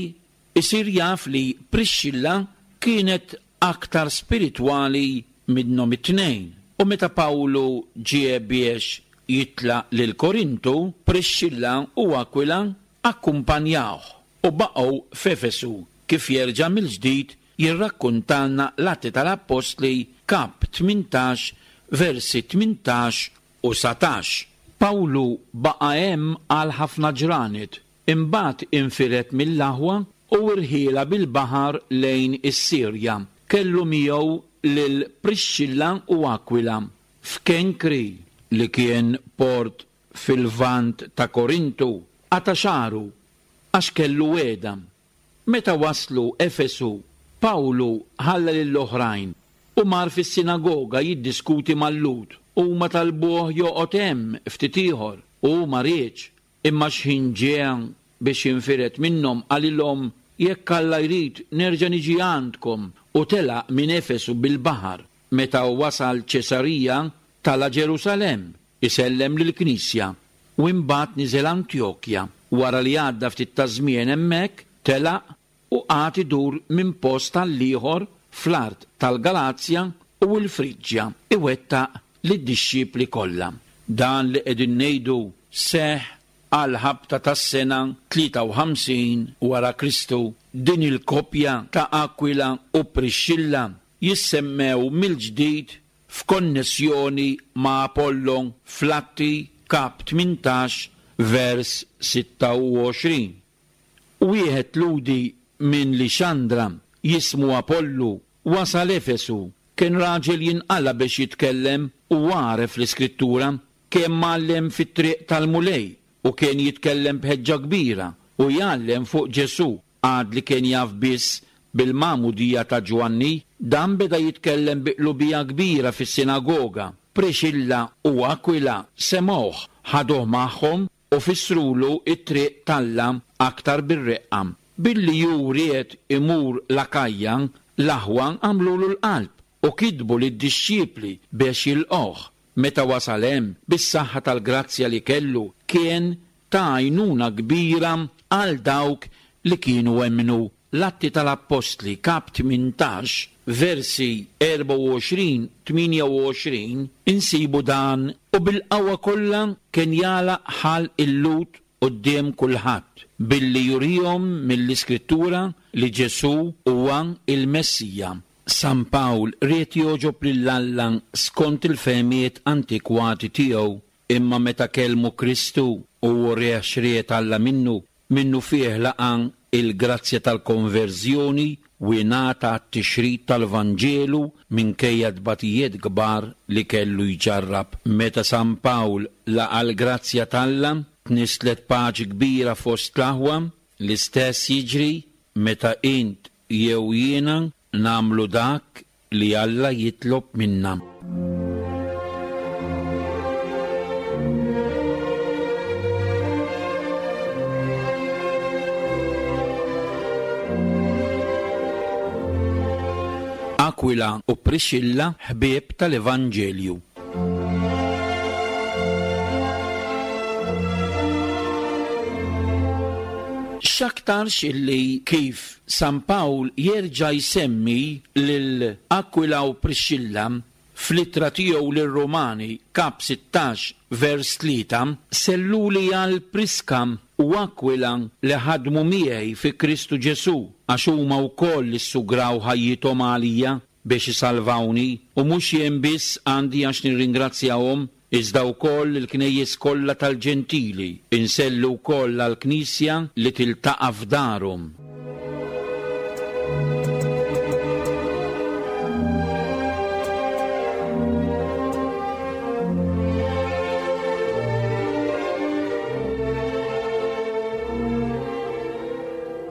isir jaf li Prixxilla kienet aktar spiritwali minnhom it-tnejn. U meta Pawlu ġie biex jitlaq lil Korintu, Prixxilla u Akwila akkumpanjawh u baqgħu f'Efesu, kif jerġa' mill-ġdid jirrakkuntalna l-Atti tal-Appostli kap tmintax versi tmintax u satax. Pawlu baqa' hemm għal ħafna ġranet, imbagħad infired mill-aħwa u rħiela bil-baħar lejn is-Sirja. Kellu miegħu lil Prixxilla u Akwila f'Kenkri, li kien port fil-vant ta' Korintu, qata' xagħru għax kellu wegħda. Meta waslu Efesu, Pawlu ħalla lill-oħrajn u mar fis-sinagoga jiddiskuti mal-Lhud. Huma talbuh joqgħod hemm ftit ieħor u ma riedx, imma x'ħin ġie biex jinfired minnhom qalilhom, jekk Alla jrid nerġa' niġi għandkom, u telaq minn Efesu bil-baħar. Meta wasal Ċesarija tala Ġerusalemm isellem lill-Knisja u imbagħad niżel Antjokja. Wara li għadda ftit ta' żmien hemmhekk telaq u qagħad idur minn post għall-ieħor fl-art tal-Galazja u l-Friġġja iwettaq lid-dixxipli kollha. Dan li qegħdin ngħidu seħħ għal ħabta tas-sena tlieta u ħamsin wara Kristu. Din il-koppja ta' Akwila u Prixxilla jissemmew mill-ġdid f'konnessjoni ma' Apollo fl-Atti kap tmintax vers sitta u għoxrin. Wieħed Lhudi minn Lixandra jismu Apollu wasal Efesu, kien raġel jinqala biex jitkellem u għaref l-Iskrittura, kien mgħallem fit-triq tal-Mulej u kien jitkellem b'ħeġġa kbira u jgħallem fuq Ġesù, għad li kien jaf biss bil-magħmudija ta' Ġwanni. Dan beda jitkellem bi qlubija kbira fis-sinagoga. Prixilla u Akwila semgħuh, ħaduh magħhom u fissrulu t-triq t'Alla aktar bir-reqqa. Billi hu ried imur l-Akajja, l-aħwa għamlulu l-qalb u kitbu lid-dixxipli biex jilqgħuh. Meta wasal hemm, bis-saħħa tal-grazzja li kellu, kien ta' għajnuna kbira għal dawk li kienu emmnu. L-Atti tal-Appostli kap tmintax versi erba' u għoxrin tmienja u għoxrin insibu dan: u bil-qawwa kollha kien jagħlaq ħalq il-Lhud quddiem kulħadd, billi jurihom mill-Iskrittura li Ġesù huwa il-Messija. San Pawl ried jogħġob lil Alla skont il-fehmiet antikwati tiegħu, imma meta kellmu Kristu u wrieh x'ried Alla minnu, minnu fih laqa' il-grazzja tal-konverżjoni u ingħata t-tixrid tal-Vanġelu minkejja tbatijiet kbar li kellu jġarrab. Meta San Pawl laqa' l-grazzja t'Alla, tnisslet paċi kbira fost l-aħwa. L-istess jiġri meta int jew jiena nagħmlu dak li Alla jitlob minna. Akwila u Prixilla ħbieb tal-Evanġelju. X'aktarx illi kif San Pawl jerġa' jsemmi lil Akwila u Prixilla fl-ittra tiegħu lir-Rumani kap sittax vers tlieta, selluli għal Priska u Akwila li ħadmu miegħi fi Kristu Ġesù, għax huma wkoll issugraw ħajjithom għalija biex isalvawni, u mhux jien biss għandi għax nirringrazzjahom, iżda wkoll il-knejjes kollha tal-Ġentili. Insellu wkoll għall-Knisja li tiltaqa' f'darhom.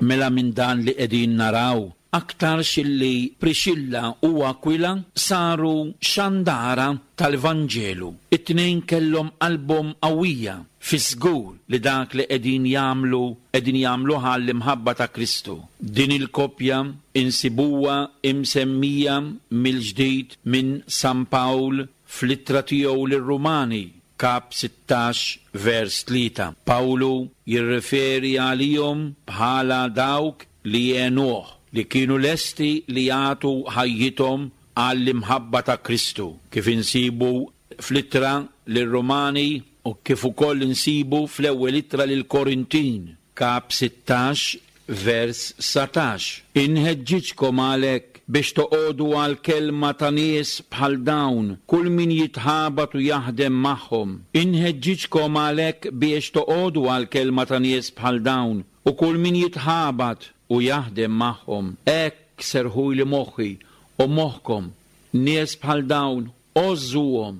Mela minn dan li qegħdin naraw Aktarx illi Priscilla u Aquila saru xandara tal-Vanġelu. It-tnejn kellhom qalbhom qawwija fi żgur li dak li qegħdin jagħmlu qegħdin jagħmluha l-imħabba ta' Kristu. Din il-koppja insibuha imsemmija mill-ġdid minn San Pawl fl-ittra tiegħu lir-Rumani, kap sittax vers tlieta. Pawlu jirreferi għalihom bħala dawk li għenuh, li kienu lesti li jagħtu ħajjithom għall-imħabba ta' Kristu, kif insibu fl-ittra lir-Rumani u kif ukoll insibu fl-ewwel ittra lill-Korintin, kap sittax vers satax. Inħeġġiġkom għalhekk biex toqogħdu għal kelma ta' nies bħal dawn, kull min jitħabat u jaħdem magħhom. Inħeġġiġkom għalhekk biex toqogħdu għal kelma ta' nies bħal dawn, u kull min jitħabat u jaħdem magħhom. Hekk serħuli moħħi u moħħkom, nies bħal dawn għożżuhom.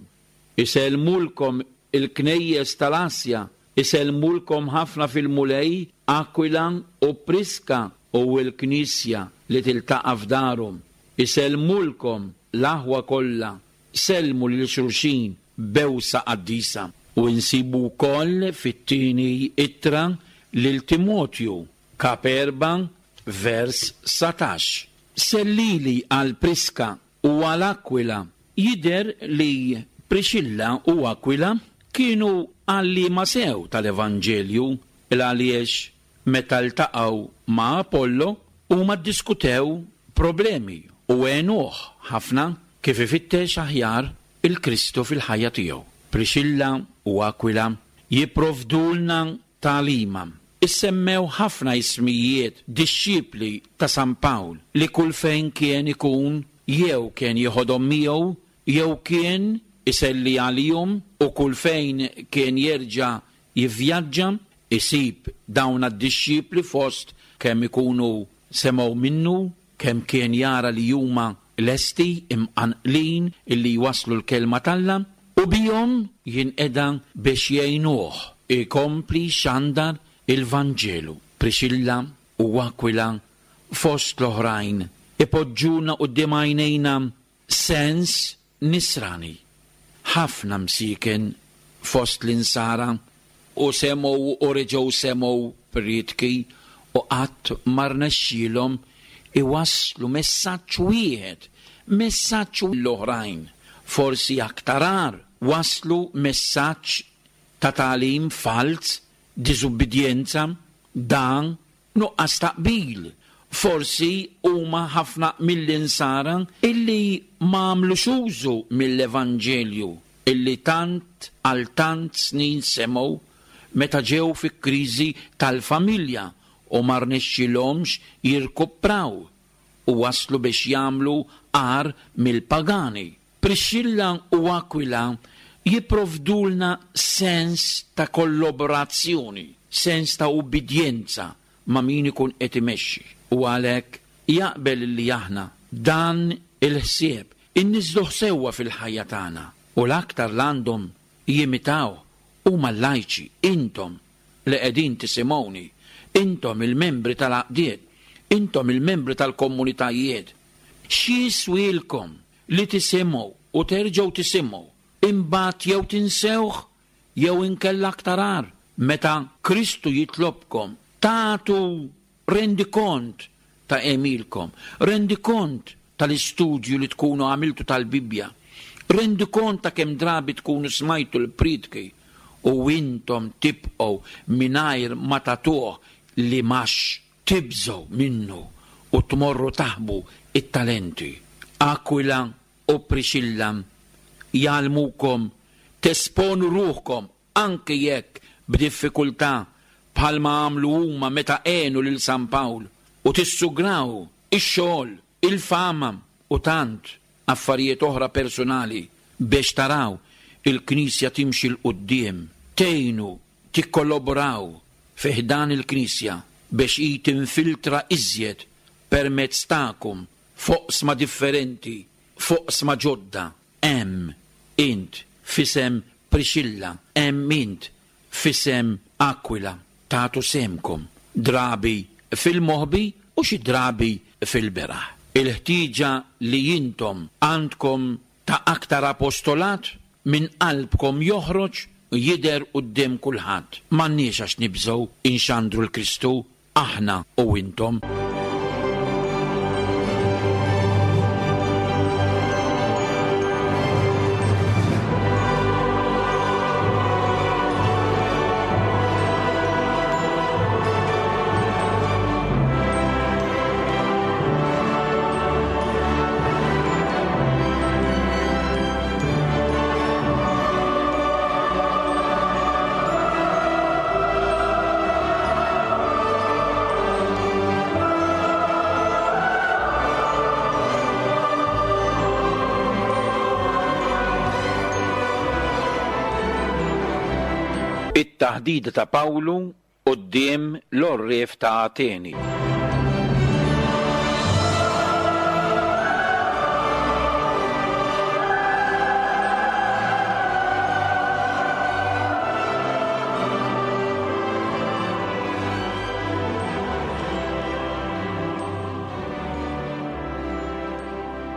Isellmulkom il-knejjes tal-Asja, isellmulkom ħafna fil-Mulej Aquila u Priska u l-Knisja li tiltaqa' f'darhom. Isellmulkom l-aħwa kollha, sellmu lil xulxin bewsa qaddisa. U nsibu wkoll fit-tieni ittra lil Timotju, kap erba' vers satax. Sellili għal Priska u għal Aquila. Jidher li Priscilla u Aquila kienu għalliema sew tal-Evanġelju, il għaliex meta ltaqgħu ma' Apollo huma ddiskutew problemi u għenuh ħafna kif ifittex aħjar il-Kristu fil-ħajja tiegħu. Priscilla u Aquila jipprovdulna tagħlima. Issemmew ħafna ismijiet dixxipli ta' San Pawl li kull fejn kien ikun jew kien jieħodhom miegħu jew kien iselli għalihom, u kull fejn kien jerġa' jivvjaġġa isib dawn għad-dixxipli fost kemm ikunu semgħu minnu, kemm kien jara li huma lesti imqanqlin illi jwaslu l-kelma t'Alla, u bihom jinqeda biex jgħinuh ikompli xandar il-Vanġelu. Priscilla u Aquila fost l-oħrajn ipoġġuna quddiem għajnejna sens nisrani. Ħafna msiken fost l-insara u semgħu u reġgħu semgħu prietki u qatt ma rnexxielhom iwasslu messaġġ wieħed, messaġġ l-oħrajn. Forsi aktar agħar waslu messaġġ ta' tagħlim falz, diżubbidjenza, dan nuqqas ta' qbil. Forsi huma ħafna mill-insara illi ma għamlux użu mill-Evanġelju illi tant għal tant snin semgħu meta ġew fi kriżi tal-familja u ma rnexxilhomx jirkupraw u waslu biex jagħmlu agħar mill-pagani. Priscilla u Aquila jipprovdulna sens ta' kollaborazzjoni, sens ta' ubbidjenza ma' min ikun qed imexxi. U għalhekk jaqbel li aħna dan il-ħsieb inniżżluh sewwa fil-ħajja tagħna, u l-aktar l-għandhom jimitaw huma l-lajċi, intom li qegħdin tisimgħuni, intom il-membri tal-għaqdiet, intom il-membri tal-komunitajiet. X'jiswielkom li tisimgħu u terġgħu tisimgħu, imbagħad jew tinsewh jew inkella aktar agħar, meta Kristu jitlobkom tagħtu rendikont ta' għemilkom, rendikont tal-istudju li tkunu għamiltu tal-Bibbja, rendikont ta' kemm drabi tkunu smajtu l-prietki u intom tibqgħu mingħajr ma tagħtuh li max tibżgħu minnu u tmorru taħbu it-talenti. Aquila u Priscilla jgħallmukom tesponu ruħkom anke jekk b'diffikultà bħalma għamlu huma meta għenu lil San Pawl, u tissugraw ix-xogħol, il-fama u tant affarijiet oħra personali biex taraw il-Knisja timxi 'l quddiem, tgħinu tikkollaboraw fi ħdan il-Knisja biex hi tinfiltra iżjed permezz tagħkom foqsma differenti, foqsma ġodda. Hemm int f'isem Priscilla, hemm int f'isem Aquila, tagħtu semkom drabi fil-moħbi u u xi drabi fil-beraħ. Il-ħtieġa li intom għandkom ta' aktar apostolat minn qalbkom joħroġ u jidher quddiem kulħadd. M'għandniex għax nibżgħu inxandru l-Kristu, aħna u intom. It-taħdida ta' Pawlu quddiem l-għorrief ta' Ateni.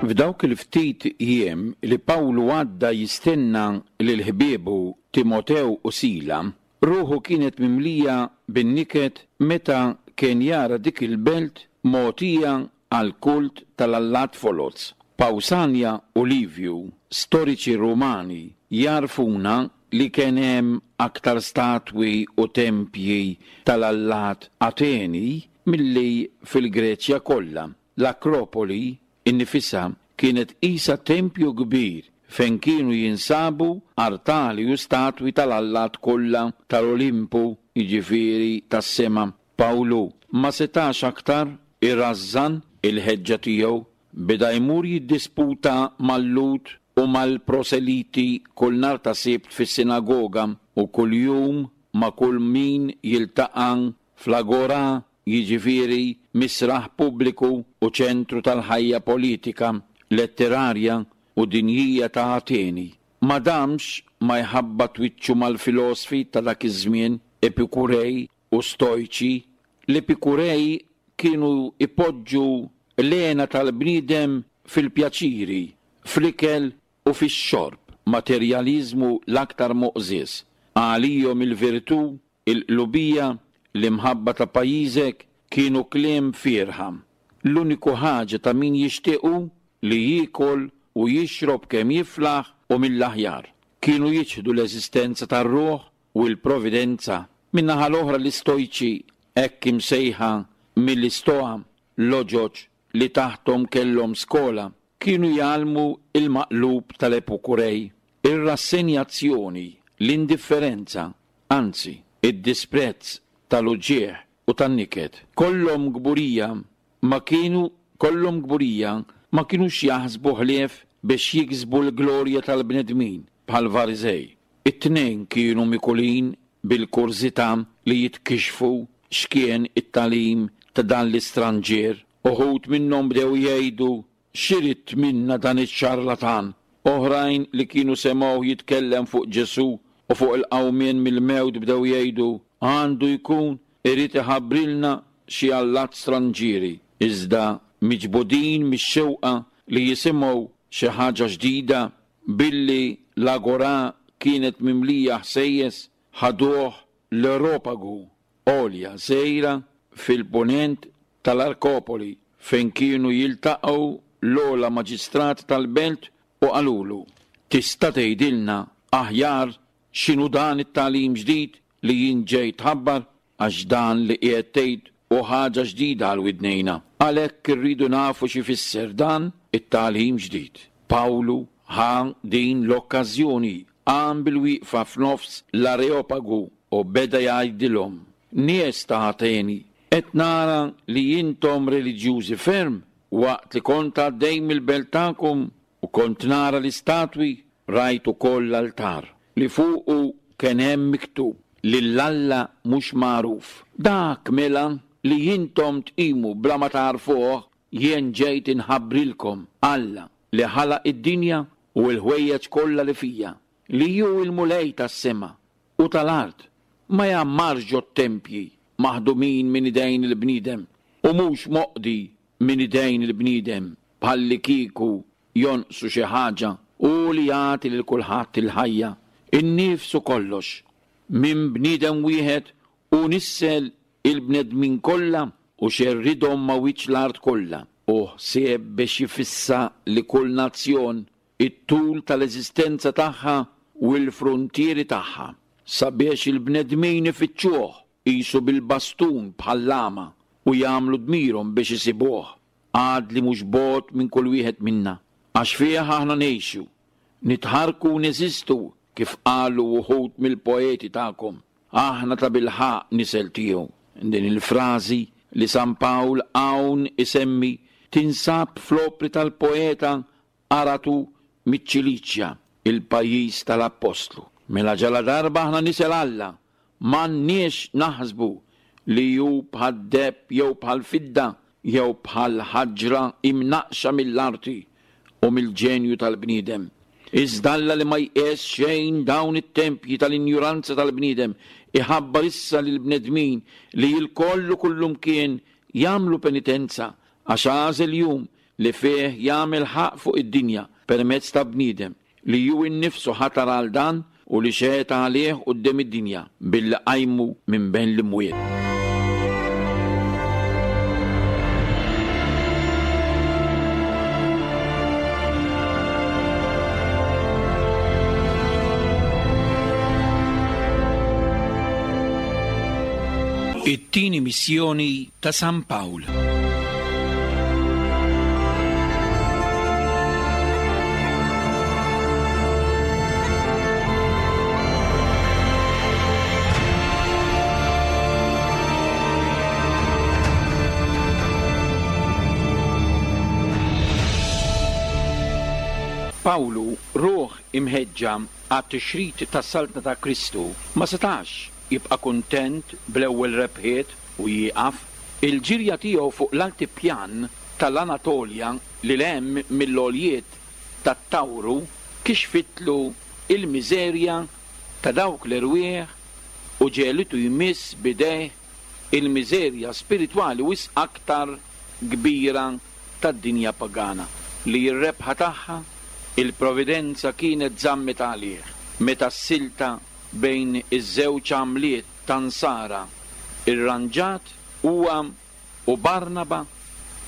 F'dawk il-ftit jiem li Pawlu għadda jistenna lil ħbiebu Timotew u Sila, ruħu kienet mimlija bin-niket meta kien jara dik il-belt mogħtija għal kult tal-allat foloz. Pawsanja u Livju, storiċi Rumani, jarfuna li kien hemm aktar statwi u tempji tal-allat Ateni milli fil-Greċja kollha. L-Akropoli innifisha kienet qisha tempju kbir fejn kienu jinsabu artali u statwi tal-allat kollha tal-Olimpu, jiġifieri tas-sema. Pawlu ma setax aktar irrażżan il-ħeġġa tiegħu, beda jmur jiddisputa mal-Lhud u mal-proseliti kull nhar ta' Sibt fis-sinagoga u kuljum ma' kull min jiltaqa' fl-agora, jiġifieri misraħ pubbliku u ċentru tal-ħajja politika, letterarja u dinjija ta' Ateni. Ma damx ma jħabbat wiċċu mal-filosfi ta' dak iż-żmien, Epikurej u Stojċi. L-Epikurej kienu ipoġġu l-għena tal-bniedem fil-pjaċiri, fl-ikel u fix-xorb, materjaliżmu l-aktar moqżież. Għalihom il-virtù, il-qlubija, l-imħabba ta' pajjiżek kienu kliem fierħa. L-uniku ħaġa ta' min jixtiequ li jiekol u jixrob kemm jiflaħ u mill-aħjar. Kienu jiċħdu l-eżistenza tar-ruħ u l-providenza. Min-naħa l-oħra l-Istojċi, hekk imsejħa mill-Istoa, loġoġ li taħtom kellhom skola, kienu jgħallmu il-maqlub tal-Epikurej, ir-rassenjazzjoni, l-indifferenza, anzi, id-disprezz tal-uġigħ u tan-niket. Kollhom kburija ma kienu kollhom kburija ma kinux jaħsbu ħlief biex jiksbu l-glorja tal-bnedmin bħal Farisej. It-tnejn kienu mikulin bil-kurżità li jitkixfu x'kien it-tagħlim ta' dan l-istranġier. Uħud minnhom bdew jgħidu x'irid minna dan iċ-ċarlatan. Oħrajn li kienu semgħuh jitkellem fuq Ġesù u fuq il-qawmien mill-mewt bdew jgħidu għandu jkun irid iħabbrilna xi allat stranġieri. Iżda miġbudin mix-xewqa li jisimgħu xi ħaġa ġdida, billi l-agora kienet mimlija ħsejjes, ħaduh l-Areopagu, għolja żgħira fil-punent tal-Arkopoli, fejn kienu jiltaqgħu l-ogħla maġistrat tal-belt u qalulu: tista' tgħidilna aħjar x'inhu dan it-tagħlim ġdid li jien ġej tħabbar, għax dan li qiegħed tgħid u ħaġa ġdida għal widnejna. Għalhekk irridu nafu x'ifisser dan it-tagħlim ġdid. Pawlu ħa din l-okkażjoni, qam bil-wieqfa f'nofs l-Areopagu u beda jgħidilhom: nies ta' Ateni, qed nara li intom reliġjużi ferm. Waqt li kont għaddej mill-belt tagħkom u kont nara l-istatwi, rajt ukoll l-altar li fuqu kien hemm miktub lil Alla mhux magħruf. Dak mela li intom tqimu bla ma tagħrfuh, jien ġejt inħabbrilkom Alla li ħalaq id-dinja u l-ħwejjeġ kollha li fija, li hu l-Mulej tas-sema u tal-art, ma jgħammarx ġot-tempji maħdumin minn idejn il-bniedem, U mhux moqdi minn idejn il-bniedem bħallikieku jonqsu xi ħaġa, u li jagħti lil kulħadd il-ħajja, in-nifs u kollox. Minn bniedem wieħed u nissel il-bnedmin kollha u xerridhom ma' wiċċ l-art kollha, u ħsieb biex jifissa li kull nazzjon it-tul tal-eżistenza tagħha u l-frontieri tagħha, sabiex il-bnedmin ifittxuh qisu bil-bastun bħall-għama u jagħmlu dmirhom biex isibuh, għad li mhux bogħod minn kull wieħed minna, għax fih aħna ngħixu, nitħarku u neżistu, kif qalu wħud mill-poeti tagħkom, aħna ta' bilħaqq nisel tiegħu. Din il-frażi li San Pawl hawn isemmi tinsab fl-opri tal-poeta Aratu miċ-Ċiliċja, il-pajjiż tal-Appostlu. Mela ġala darba aħna nisel Alla, m'għandniex naħsbu li hu bħad-deheb jew bħall-fidda jew bħal-ħaġra imnaqxa mill-arti u mill-ġenju tal-bniedem. Iżda Alla li ma jqies xejn dawn it-tempji tal-injuranza tal-bniedem iħabbar issa lill-bnedmin li l-kollu kullumkien jagħmlu penitenza, għax għażel jum li fih jagħmel ħaqq fuq id-dinja permezz ta' bniedem li hu innifsu ħatar għal dan u li xehed għalih quddiem id-dinja billi qajmu minn bejn l-imwiet. It-tieni missjoni ta' San Pawl. Pawlu, ruħ imħeġġa għat-tixrid tas-Saltna ta' Kristu, ma setax jibqa' kuntent bl-ewwel rebħiet u jieqaf. Il-ġirja tiegħu fuq l-altipjan tal-Anatolja li hemm mill-għoljiet tat-Tawru kixfitlu il-miżerja ta' dawk l-erwieħ u ġelitu jmiss bidejh il-miżerja spiritwali wisq aktar kbira tad-dinja pagana li r-rebħa tagħha il-providenza kienet żammet għalih. Meta s-silta bejn iż-żewġ għamliet ta' Nsara irranġat, huwa u Barnaba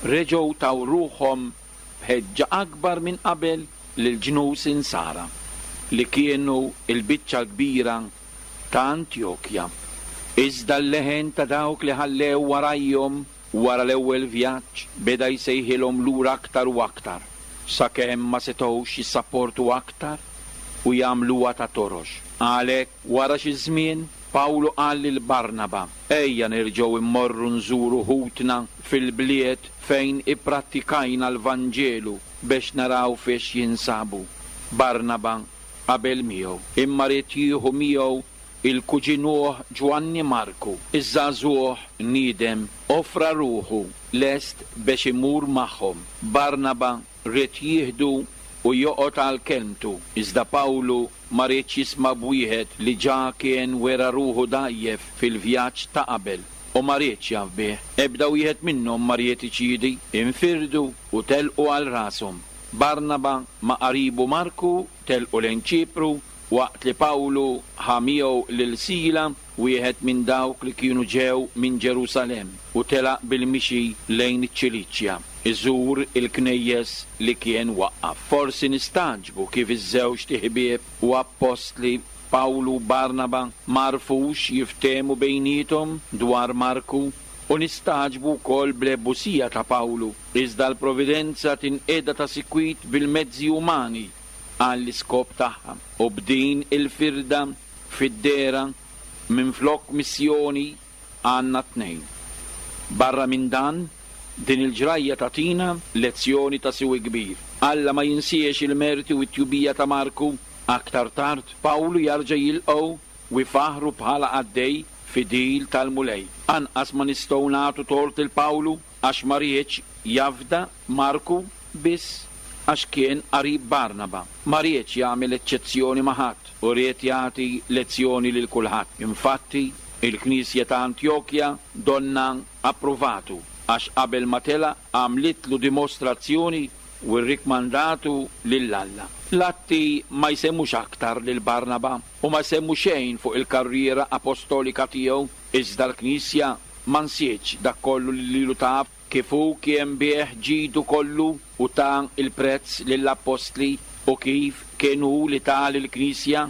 reġgħu taw ruħhom b'ħeġġa akbar minn qabel lil ġnus Insara li kienu l-biċċa l-kbira ta' Antjokja. Iżda l-leħen ta' dawk li ħallew warajhom wara l-ewwel vjaġġ beda jsejħilhom lura aktar u aktar, sakemm ma setgħux jissapportu aktar u jagħmluha ta' torox. Għalhekk wara xi żmien Pawlu qal lil Barnaba: ejja nerġgħu immorru nżuru ħutna fil-bliet fejn ipprattikajna l-Vanġelu biex naraw fiex jinsabu. Barnaba qabel miegħu, imma ried jieħu miegħu il-kuġinuh Ġwanni Marku. Iż-żagħżugħ niedem offra ruħu lest biex imur magħhom. Barnaba ried jieħdu u joqgħod għal kelmtu, iżda Pawlu ma riedx jisma' b'wieħed li ġa kien wera ruħu dgħajjef fil-vjaġġ ta' qabel u ma riedx jaf bih. Ebda wieħed minnhom ma ried iċiedi, infirdu u telqu għal rashom. Barnaba ma' qaribu Marku telqu lejn Ċipru, waqt li Pawlu ħa miegħu lil Sila, wieħed minn dawk li kienu ġew minn Ġerusalemm, u telaq bil-mixi lejn iċ-Ċiliċja, iżur il-knejjes li kien waqqaf. Forsi nistagħġbu kif iż-żewġ ħbieb u appostli Pawlu u Barnaba m'għarfux jiftehmu bejniethom dwar Marku, u nistagħġbu wkoll bl-ebusija ta' Pawlu, iżda l-providenza tinqeda ta' sikwit bil-mezzi umani għall-iskop tagħha, u b'din il-firda fid-dera minflok missjoni għandna tnejn. Barra minn dan, din il-ġrajja tagħtina lezzjoni ta' siwi kbir. Alla ma jinsiex il-merti u t-tjubija ta' Marku. Aktar tard, Pawlu jarġa' jilqgħu u jfaħru bħala qaddej fidil tal-Mulej. Anqas ma nistgħu nagħtu tort il Pawlu għax ma riedx jafda Marku biss għax kien qarib Barnaba. Ma riedx jagħmel eċċezzjoni ma' ħadd u ried jagħti lezzjoni lil kulħadd. Infatti, il-Knisja ta' Antjokja donna approvatu għax qabel ma telaq għamlitlu dimostrazzjoni u rrikmandatu lil Alla. L-Atti ma jsemmux aktar lil Barnaba u ma jsemmu xejn fuq il-karriera apostolika tiegħu, iżda l-Knisja ma nsietx dak kollu li lilu taf, kif hu kien biegħ ġidu kollu u ta il-prezz lill-appostli, u kif kien hu li ta lill-Knisja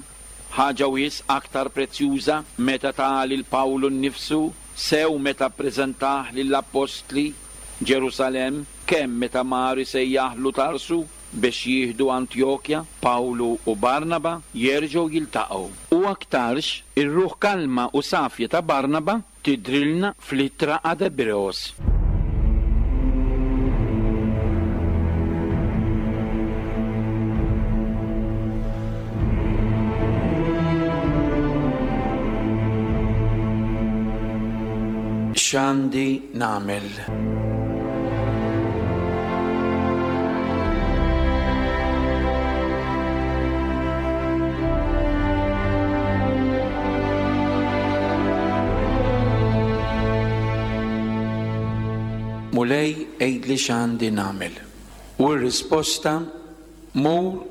ħaġa wisq aktar prezzjuża meta ta lil Pawlu nnifsu, sew meta ppreżentah lill-appostli Ġerusalemm, kemm meta mar isejjaħlu Tarsu biex jieħdu Antjokja. Pawlu u Barnaba jerġgħu jiltaqgħu. U aktarx ir-ruħ kalma u safja ta' Barnaba tidhrilna fl-ittra ad Ebreos. X'għandi nagħmel? Mulej, għidli x'għandi nagħmel. U r-risposta, mur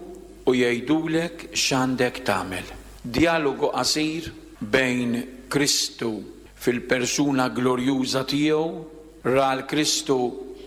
u jgħidulek x'għandek tagħmel. Dialogu qasir bejn Kristu fil-persuna glorjuża tiegħu, ra l-Kristu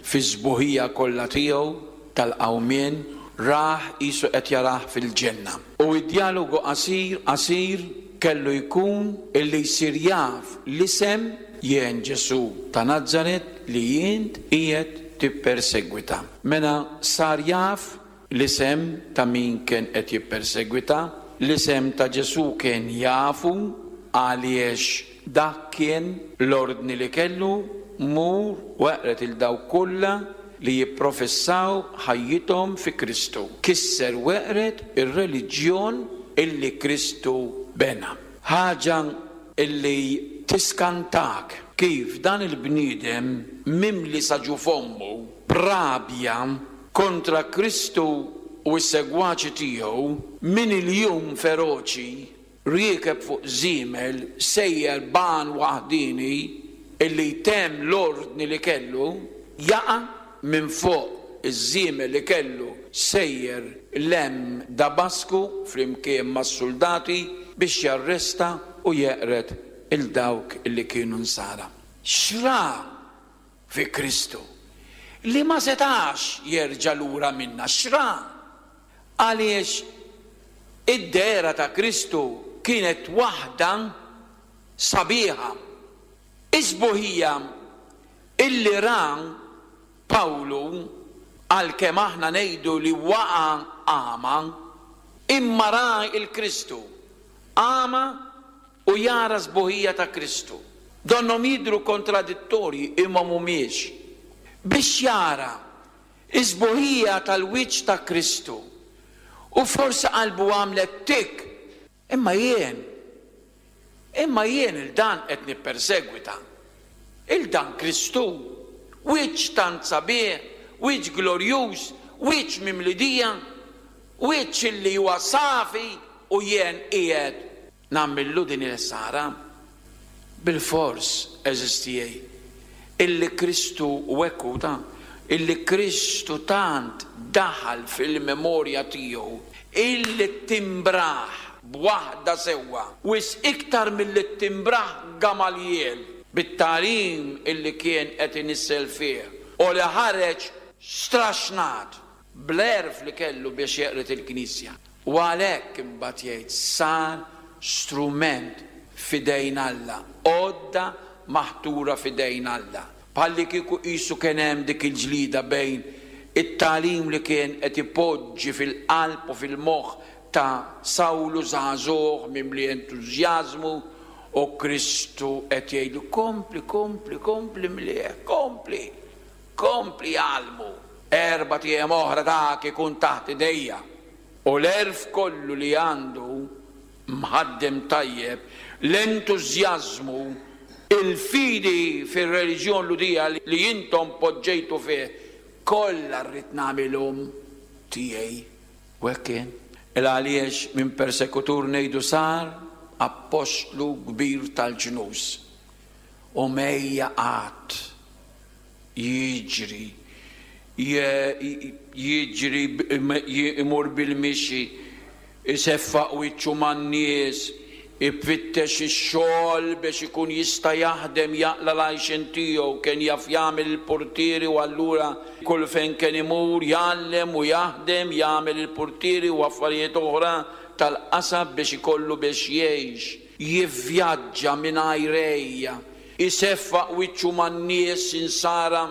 fi-sbuħija kollha tiegħu tal-qawmien, rah qisu qed jarah fil-ġenna. U d-dialogu qasir qasir kellu jkun illi jsir jaf l-isem jien Ġesu ta' Nazaret li jint qiegħed tippersegwita. Mela sar jaf l-isem ta' min kien qed jippersegwita, l-isem ta' Ġesu kien jafu għaliex dak kien l-ordni li kellu, mur u eqret il dawk kollha li jipprofessaw ħajjithom fi Kristu. Kisser u eqret ir-reliġjon illi Kristu bena. Ħaġa illi tiskantak kif dan il-bniedem mimli sa ġu fommu b'rabja kontra Kristu u s-segwaċi tiegħu, min il-jum feroċi riekeb fuq żiemel sejjer ban waħdini illi jtemm l-ordni li kellu, jaqa' minn fuq iż-żiemel li kellu sejjer lem Damasku flimkien mas-soldati biex jarresta u jeqred il dawk illi kienu nsara. X'ra fi Kristu li ma setax jerġa' lura minna? X'ra? Għaliex id-dehra ta' Kristu kienet waħda sabiħa. Is-sbuħija illi ra Pawlu, għalkemm aħna ngħidu li waqa' għama, imma ra il-Kristu għama u jara sbuħija ta' Kristu. Donnhom jidhru kontradittorji imma mhumiex. Biex jara is-sbuħija tal-wiċċ ta' Kristu, u forsi qalbu għamlet tik, imma jien, imma jien il-dan qed nippersegwita. Il-dan Kristu, wiċċ tant sabiħ, wiċċ glorjuż, wiċċ mimlidija, wiċċ illi huwa safi, u jien qiegħed nagħmillu din il-ħsara. Bil-fors, eżistijej, illi Kristu u ekku ta' illi Kristu tant daħal fil-memorja tiegħu, illi timbraħ b'waħda sewwa, wis iktar milli timbraħ Gamaliel bit-tagħlim illi kien qed inissel fih, u li ħareġ straxnat bl-għerf li kellu biex jeqret il-Knisja. U għalhekk imbagħad jgħid sar strument f'idejn Alla, għodda maħtura f'idejn Alla. Bħalli kieku qisu kien hemm dik il-ġlida bejn it-tagħlim li kien qed ipoġġi fil-qalb u fil-moħħ ta' Sawlu żagħżugħ mimli entużjażmu, u Kristu qed jgħidlu kompli, kompli, kompli mlieh, kompli, kompli għalmu. Erba' ijiem oħra dak ikun taħt idejja. U l-għerf kollu li għandu mħaddem tajjeb, l-entużjażmu, il-fidi fir-reliġjon Lhudija li intom poġġejtu fih, kollha rrid nagħmilhom tiegħi. U hekk kien. Il għaliex minn persekutur ngħidu sar appostlu kbir tal-ġnus. U mejja qatt Jiġri, jiġri imur bil-mixi, iseffaq wiċċu man-nies, ifittex ix-xogħol biex ikun jista' jaħdem jaqla' l-għajxien tiegħu, kien jaf jagħmel il-portieri u allura kull fejn kien imur jgħallem u jaħdem, jagħmel il-portieri u affarijiet oħra tal-qasab biex ikollu biex jgħix. Jivvjaġġa mingħajr ejja, iseffaq wiċċu man-nies insara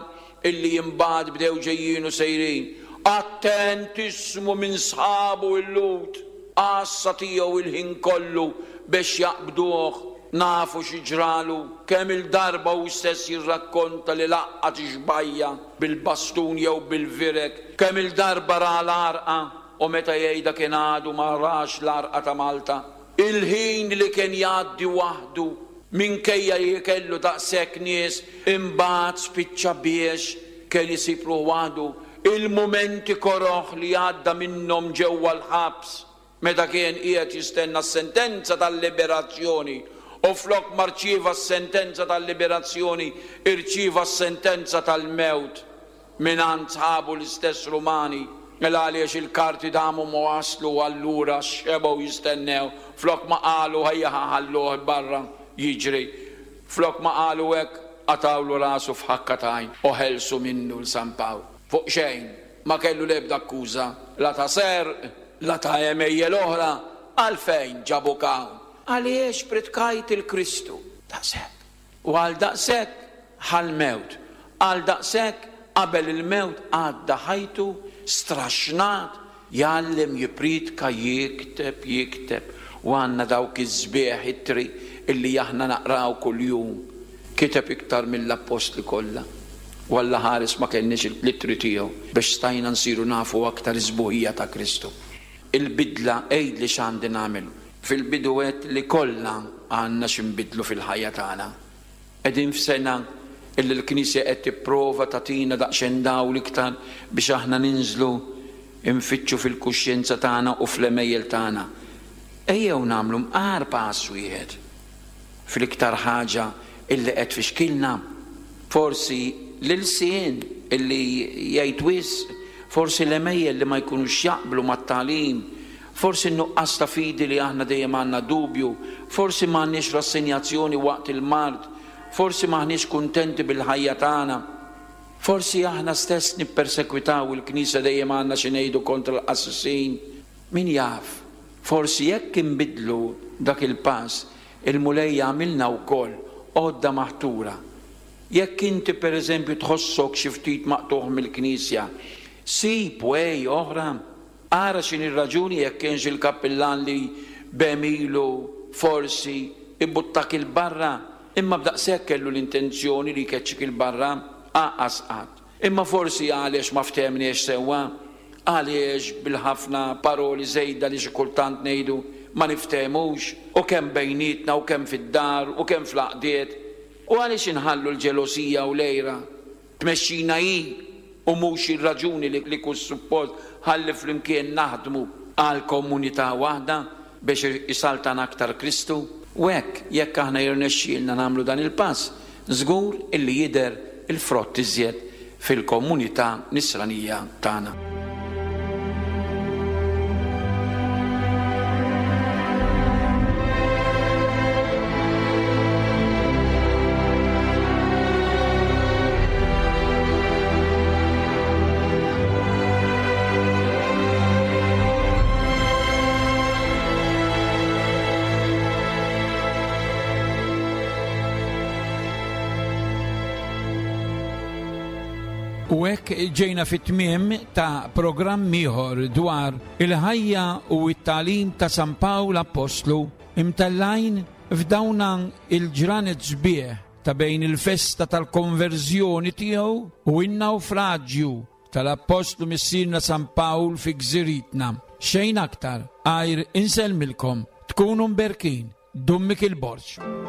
illi imbagħad bdew ġejjin u sejrin. Attent ismu minn sħabu l-Lhud, għassa tiegħu il-ħin kollu biex jaqbduh. Nafu xi ġralu, kemm il-darba hu stess jirrakkonta li laqqat ixbajja bil-bastun jew bil-virek, kemm il-darba ra l-għarqa u meta jgħidha kien għadu ma rax l-għarqa ta' Malta. Il-ħin li kien jgħaddi waħdu minkejja li kellu daqshekk nies, imbagħad spiċċa biex kien isib ruħu waħdu. Il-mumenti koroħ li għadda minnhom ġewwa l-ħabs meta kien qiegħed jistenna s-sentenza tal-liberazzjoni, u flok ma rċieva s-sentenza tal-liberazzjoni irċieva s-sentenza tal-mewt mingħand sħabu l-istess Rumani. Mela għaliex il-karti damu ma waslu, allura xebgħu jistennew, flok ma qalu ejja ħalluh barra jiġri, flok ma qalu hekk qatawlu rasu f'ħakka t'għajn u ħelsu minnu l San Pawl. Fuq xejn ma kellu l-ebda akkuża, la ta' serq, la ta' għemejjel oħra. Għalfejn ġabuk hawn? Għaliex pritkajt il-Kristu. Daqshekk. U għal daqshekk ħal-mewt, għal daqshekk qabel il-mewt għadda ħajtu straxnat, jgħallem, jipritka, jikteb, jikteb. U għandna dawk iż-żbieħ ittri illi aħna naqraw kuljum. Kiteb iktar mill-appostli kollha. U Alla ħares ma kellniex il-ittri tiegħu biex stajna nsiru nafu aktar iż-żbuħija ta' Kristu. Il-bidla, għidli x'għandi nagħmel. Fil-bidu għedt li kollha għandna x'inbidlu fil-ħajja tagħna. Qegħdin f'sena illi l-Knisja qed tipprova tagħtina daqsxejn dawl iktar biex aħna ninżlu nfittxu fil-kuxjenza tagħna u fl-għemejjel tagħna. Ejjew nagħmlu mqar pass wieħed fl-iktar ħaġa illi qed fixkilna. Forsi l-ilsien illi jgħid wisq, forsi l-għemejjel li ma jkunux jaqblu mat-tagħlim, forsi n-nuqqas ta' fidi li aħna dejjem għandna dubju, forsi m'għandniex rassenjazzjoni waqt il-mard, forsi m'aħniex kuntenti bil-ħajja tagħna, forsi aħna stess nippersekwitaw il-Knisja, dejjem għandna xi ngħidu kontra l-qassisin. Min jaf, forsi jekk inbidlu dak il-pass, il-Mulej jagħmilna wkoll għodda maħtura. Jekk inti pereżempju tħossok xi ftit maqtuħ mill-Knisja, sib way oħra, ara x'inhi r-raġuni jekk kienx il-kappillan li b'għemilu forsi ibbuttak il-barra, imma b'daqshekk kellu l-intenzjoni li jkeċċik il-barra, aqas qatt. Imma forsi għaliex ma ftehmniex sewwa, għaliex bil-ħafna paroli żejda li xi kultant ngħidu ma niftehmux, u kemm bejnietna u kemm fid-dar u kemm fl-għaqdiet, u għaliex inħallu l-ġelosija u l-għira tmexxina hi u mhux ir-raġuni li, li kull suppost ħalli flimkien naħdmu għal komunità waħda biex isaltan aktar Kristu. U hekk jekk aħna jirnexxielna nagħmlu dan il-pass, żgur illi jidher il-frott iżjed fil-komunità nisranija tagħna.
U hekk ġejna fit-tmiem ta' programm ieħor dwar il-ħajja u t-tagħlim ta' San Pawl Appostlu, imtellajn f'dawna il-ġranet sbieħ ta' bejn il-festa tal-konverżjoni tiegħu u n-nawfraġġju tal-Appostlu Missierna San Pawl fi gżiritna. Xejn aktar għajr insellmilkom, tkunu mberkin. Dun Mikiel Borg.